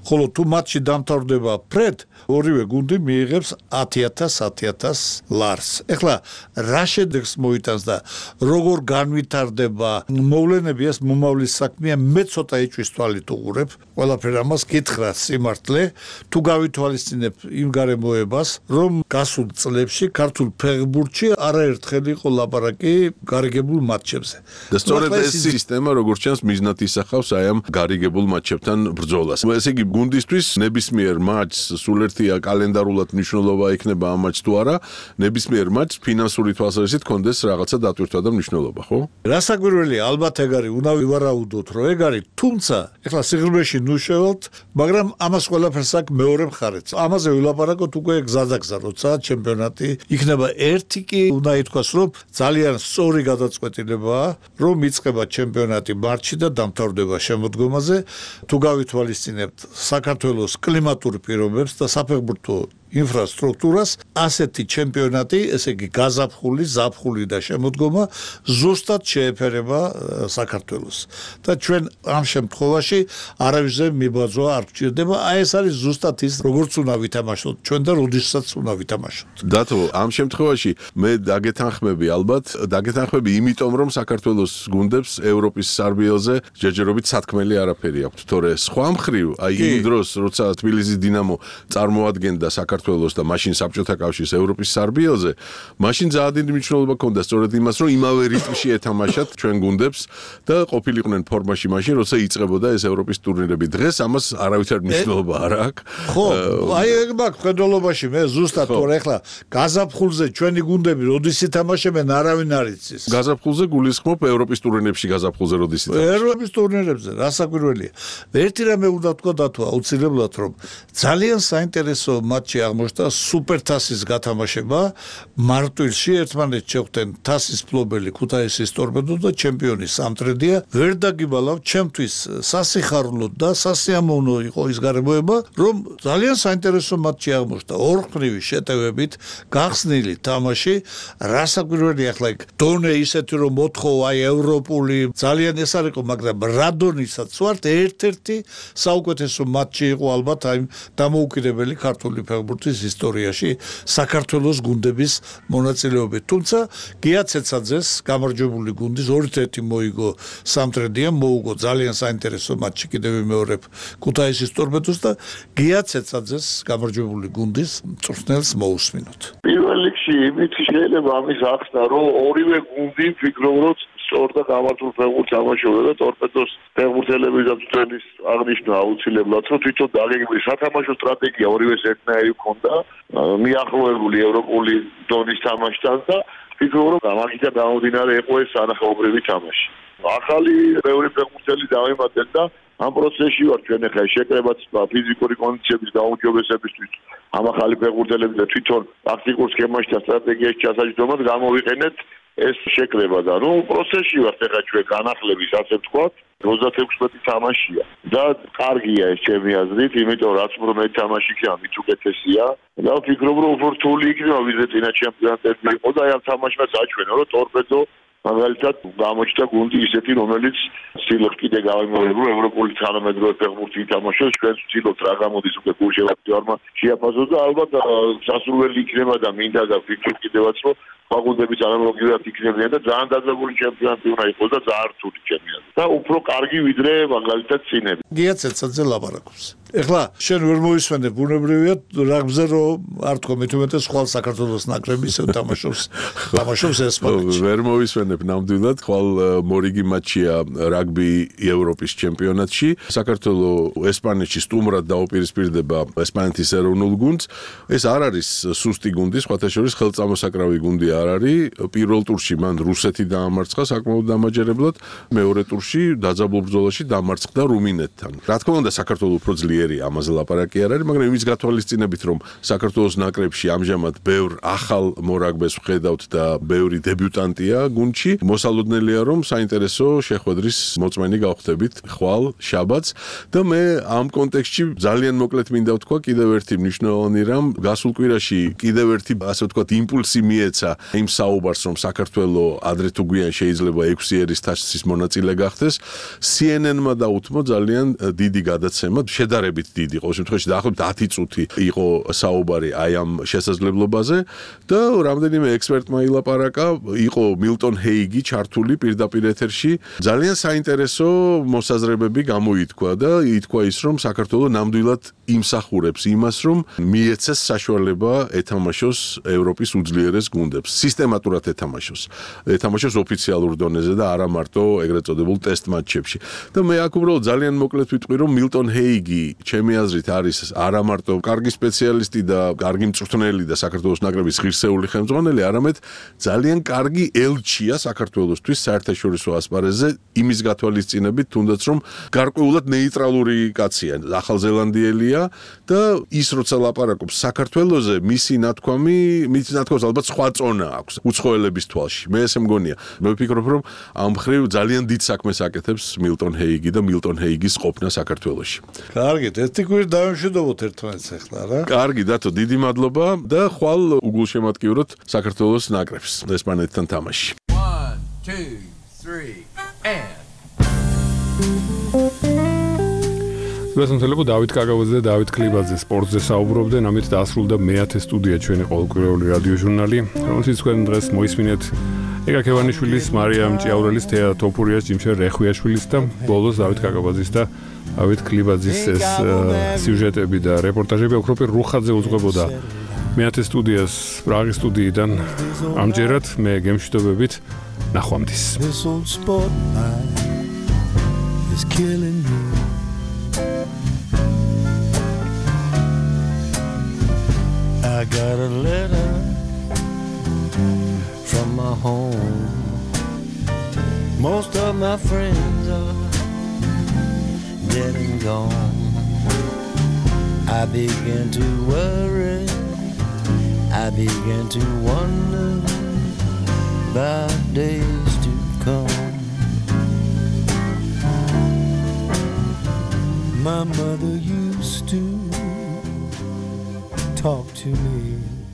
ხოლო თუ მატჩი დამთავრდება ფრედ, ორივე გუნდი მიიღებს ათი ათას ათი ათას ლარს. ეხლა რა შედეგს მოიტანს და როგორ განვითარდება მოვლენები, ეს მომავლის საქმეა, მე ცოტა ეჭვის თვალით უყურებ. ყველაფერ ამას გითხრა სიმართლე, თუ გავითვალისწინებ იმ გარემოებას, რომ გასულ წლებში ქართულ ფეხბურთში არაერთხელ იყო ლაპარაკი გარიგებულ მატჩებზე. და სწორედ ეს სისტემა, როგორც ჩანს, მიზნად ისახავს აი ამ გარიგებულ მატჩებთან ბრძოლას. ესე იგი, გუნდისთვის ნებისმიერ მატჩს სულ ერთია კალენდარულად მნიშვნელობა იქნება ამ მატჩს თუ არა, ნებისმიერ მატჩს ფინანსური თვალსაზრისით კონდეს რაღაცა დატვირთვა და მნიშვნელობა, ხო? რასაკვირველია, ალბათ ეგ არის, უნდა ვივარაუდოთ, რომ ეგ არის, თუმცა ეხლა სიღრმეში ნუ შევალთ, მაგრამ ამას ყველაფერს აქვს მეორე მხარეც. ამაზე ვილაპარაკოთ უკვე გზადაგზა, როცა ჩემპიონატი იქნება. ერთი კი უნდა ითქვას, რომ ძალიან სწორი გადაწყვეტილებაა, რომ იწყება ჩემპიონატი მარტში და დამთავრდება შემოდგომაზე. თუ გავითვალისწინებთ საქართველოს კლიმატურ პირობებს და საფეხბურთო ინფრასტრუქტურას ასეთი ჩემპიონატი, ესე იგი გაზაფხული, ზაფხული და შემოდგომა ზუსტად შეეფერება საქართველოს. და ჩვენ ამ შემთხვევაში არავისზე მიბაძვა არ გჭირდება. აი ეს არის ზუსტად ის, როგორც უნდა ვითამაშოთ ჩვენ და როდესაც უნდა ვითამაშოთ. დათო, ამ შემთხვევაში მე დაგეთანხმები ალბათ, დაგეთანხმები იმიტომ, რომ საქართველოს გუნდებს ევროპის სარბიელზე ჯერჯერობით სათქმელი არაფერი აქვს. თორე სხვა მხრივ, აი იმ დროს, როცა თბილისის დინამო წარმოადგენდა საქართველოს და მაშინ საბჭოთა კავშირის ევროპის სარბიელზე, მაშინ ძალიან დიდი მნიშვნელობა ჰქონდა სწორედ იმას, რომ იმავე რიტმში ეთამაშათ ჩვენ გუნდებს და ყოფილიყვნენ ფორმაში მაშინ, როცა იწყებოდა ეს ევროპის ტურნირები. დღეს ამას არავითარ მნიშვნელობა არ აქვს. ხო, აი ეგ მაქვს ხედველობაში მე ზუსტად თორე ახლა გაზაფხულზე ჩვენი გუნდები როდის ითამაშებენ არავინ არ იცის. გაზაფხულზე გულისხმობ ევროპის ტურნირებში გაზაფხულზე როდის ითამაშებენ. ევროპის ტურნირებზე რა საკვირველია. ერთი რამე უნდა ვთქვა დათო აუცილებლად რომ ძალიან საინტერესო მატჩი აღმოჩნდა სუპერთასის გათამაშება მარტვილში ერთმანეთს შეხვდნენ თასის ფლობელი ქუთაისის ტორპედო და ჩემპიონი სამტრედია. ვერ დაგიბალავ ჩემთვის სასიხარულო და სასიამოვნო იყო ის გარემოება რომ ძალიან საინტერესო მატჩი აღმოჩნდა ორხმრივი შეტევებით გახსნილი თამაში რა საკვირველია ახლა იქ დონე ისეთი რომ მოთხოვა აი ევროპული ძალიან ეს არ იყო მაგრამ რადონისაც ვართ ერთ-ერთი საუკეთესო მატჩი იყო ალბათ აი დამოუკიდებელი ქართული ფეხბურთის ისტორიაში საქართველოს გუნდების მონაწილეობით თუმცა გია ცეცაძეს გამარჯვებული გუნდის ორ ერთი მოიგო სამტრედია მოუგო ძალიან საინტერესო მატჩი კიდევ ვიმეორებ ქუთაისის ტორპედოს და გია ცეცაძეს გამარჯვებული გუნდის მწვრთნელს მოусმინოთ პირველ რიგში იმით შეიძლება ამის ახსნა რომ ორივე გუნდი ფიქრობ რომ სწორ და გამართულ ფეხბურთს თამაშობდა და ტორპედოს ფეხბურთელები და წვენის აღნიშნა აუცილებლად რომ თვითონ დაგეგმილი სათამაშო სტრატეგია ორივეს ერთნაირი ჰქონდა მიახლოებული ევროპული დონის თამაშთან და ფიქრობ რომ ამაგიდან გამომდინარე იყო ეს ანახაობრივი თამაში ახალი მეორე ფეხბურთელი დავიმატეთ და ამ პროცესში ვარ ჩვენ ახლა შეკრებაც ფიზიკური კონდიციების გაუმჯობესებისთვის ამ ახალი ფეხბურთელები და თვითონ ტაქტიკურ სქემაში და სტრატეგიაში ჩასაჯდომად გამოვიყენეთ ეს შეკრება და ნუ პროცესში ვართ ახლა ჩვენ განახლების ასე ვთქვათ ოცდაექვსი თამაშია და კარგია ეს ჩემი აზრით იმიტომ რაც უფრო მეტ თამაში ქია მით უკეთესია და ვფიქრობ რომ უფრო რთული იქნება ვიდრე წინა ჩემპიონატები იყო და აი ამ თამაშმა საჩვენო რომ ტორპედო მაგალითად გამოჩნდა გუნდი ისეთი რომელიც სილხ კიდე გამომოერგო ევროპული თანამედროვე ფეხბურთი ითამაშოს ჩვენ ვცდილობთ რა გამოდის უკვე გულშემატკივარმა შეაფასოს და ალბათ სასურველი იქნება და მინდა და ვფიქრობ კიდევაც რომ ფაგუნდების ანალოგიურად იქნებიან და ძალიან დაძაბული ჩემპიონატი უნდა იყოს და ძალიან რთული ჩემპიონატი და უფრო კარგი ვიდრე მაგალითად წინები გია ცეცაძე ლაპარაკობს ეხლა შენ ვერ მოისმენე ბუნებრივია რაგბზე რომ არ თქო მე თუმეტე სხვა საქართველოს ნაკრები ისე თამაშობს თამაშობს ესპანეთში ვერ მოისმენებ ნამდვილად ხვალ მორიგი მატჩია რაგბი ევროპის ჩემპიონატში საქართველოს ესპანეთში სტუმრად დაუპირისპირდება ესპანეთის ეროვნულ გუნდს ეს არ არის სუსტი გუნდი სხვათა შორის ხელწამოსაკრავი გუნდი არ არის პირველ ტურში მან რუსეთი დაამარცხა საკმაოდ დამაჯერებლად მეორე ტურში დაძაბულ ბრძოლაში დამარცხდა რუმინეთთან რა თქმა უნდა საქართველოს უფრო ძლიერია ამაზე ლაპარაკი არ არის მაგრამ იმის გათვალისწინებით რომ საქართველოს ნაკრებში ამჟამად ბევრ ახალ მორაგბეს ვხედავთ და ბევრი დებიუტანტია გუნდში მოსალოდნელია რომ საინტერესო შეხვედრის მოწმენი გავხდებით ხვალ შაბათს და მე ამ კონტექსტში ძალიან მოკლედ მინდა ვთქვა კიდევ ერთი მნიშვნელოვანი რამ გასულ კვირაში კიდევ ერთი ასე ვთქვათ იმპულსი მიეცა იმ საუბარს რომ საქართველოს ადრე თუ გვიან შეიძლება ექვსი ერის თასის მონაწილე გახდეს C N N-მა დაუთმო ძალიან დიდი გადაცემა შედარებით დიდი ყოველ შემთხვევაში დაახლოებით ათი წუთი იყო საუბარი აი ამ შესაძლებლობაზე და რამდენიმე ექსპერტმა ილაპარაკა იყო მილტონ ჰეიგი ჩართული პირდაპირ ეთერში ძალიან საინტერესო მოსაზრებები გამოითქვა და ითქვა ის რომ საქართველოს ნამდვილად იმსახურებს იმას რომ მიეცეს საშუალება ეთამაშოს ევროპის უძლიერეს გუნდებს სისტემატურად ეთამაშოს ეთამაშოს ოფიციალურ დონეზე და არა მარტო ეგრეთ წოდებულ ტესტ მატჩებში და მე აქ უბრალოდ ძალიან მოკლედ ვიტყვი რომ მილტონ ჰეიგი ჩემი აზრით არის არა მარტო კარგი სპეციალისტი და კარგი მწვრთნელი და საქართველოს ნაკრების ღირსეული ხელმძღვანელი არამედ ძალიან კარგი ელჩია საქართველოსთვის საერთაშორისო ასპარეზზე იმის გათვალისწინებით თუნდაც რომ გარკვეულად ნეიტრალური კაცია ახალზელანდიელია და ის როცა ლაპარაკობს საქართველოზე მისი ნათქვამი მისი ნათქვამს ალბათ სხვა წონა აქვს უცხოელების თვალში მე ესე მგონია მე ვფიქრობ რომ ამ ხრივ ძალიან დიდ საქმეს აკეთებს მილტონ ჰეიგი და მილტონ ჰეიგის ყოფნა საქართველოში კარგი გეტყვით, ერთი კვირი დავამშვიდობოთ ერთმანეთს ახლა რა. კარგი, დათო, დიდი მადლობა და ხვალ უგულშემატკივროთ საქართველოს ნაკრებს ესპანეთთან თამაში. one two three and გასამართლებლო დავით კაკავაძე და დავით ქლიბაძე სპორტზე საუბრობდნენ, ამით დაასრულდა მეათე სტუდია ჩვენი ყოველკვირეული რადიო ჟურნალი, რომელშიც თქვენ დღეს მოისმინეთ ეგა ქევანიშვილის, მარიამ ჭიაურელის, თეა თოფურიას, ჯიმშე რეხვიაშვილის და ბოლოს დავით კაკავაძის და დავით ქლიბაძის ეს სიუჟეტები და რეპორტაჟები ოქროპირ რუხაძე უძღვებოდა მეათე სტუდიას პრაღის სტუდიიდან. ამჯერად მე გემშვიდობებით, ნახვამდის. I got a letter from my home. Most of my friends are dead and gone. I began to worry. I began to wonder about days to come. My mother used to talk to me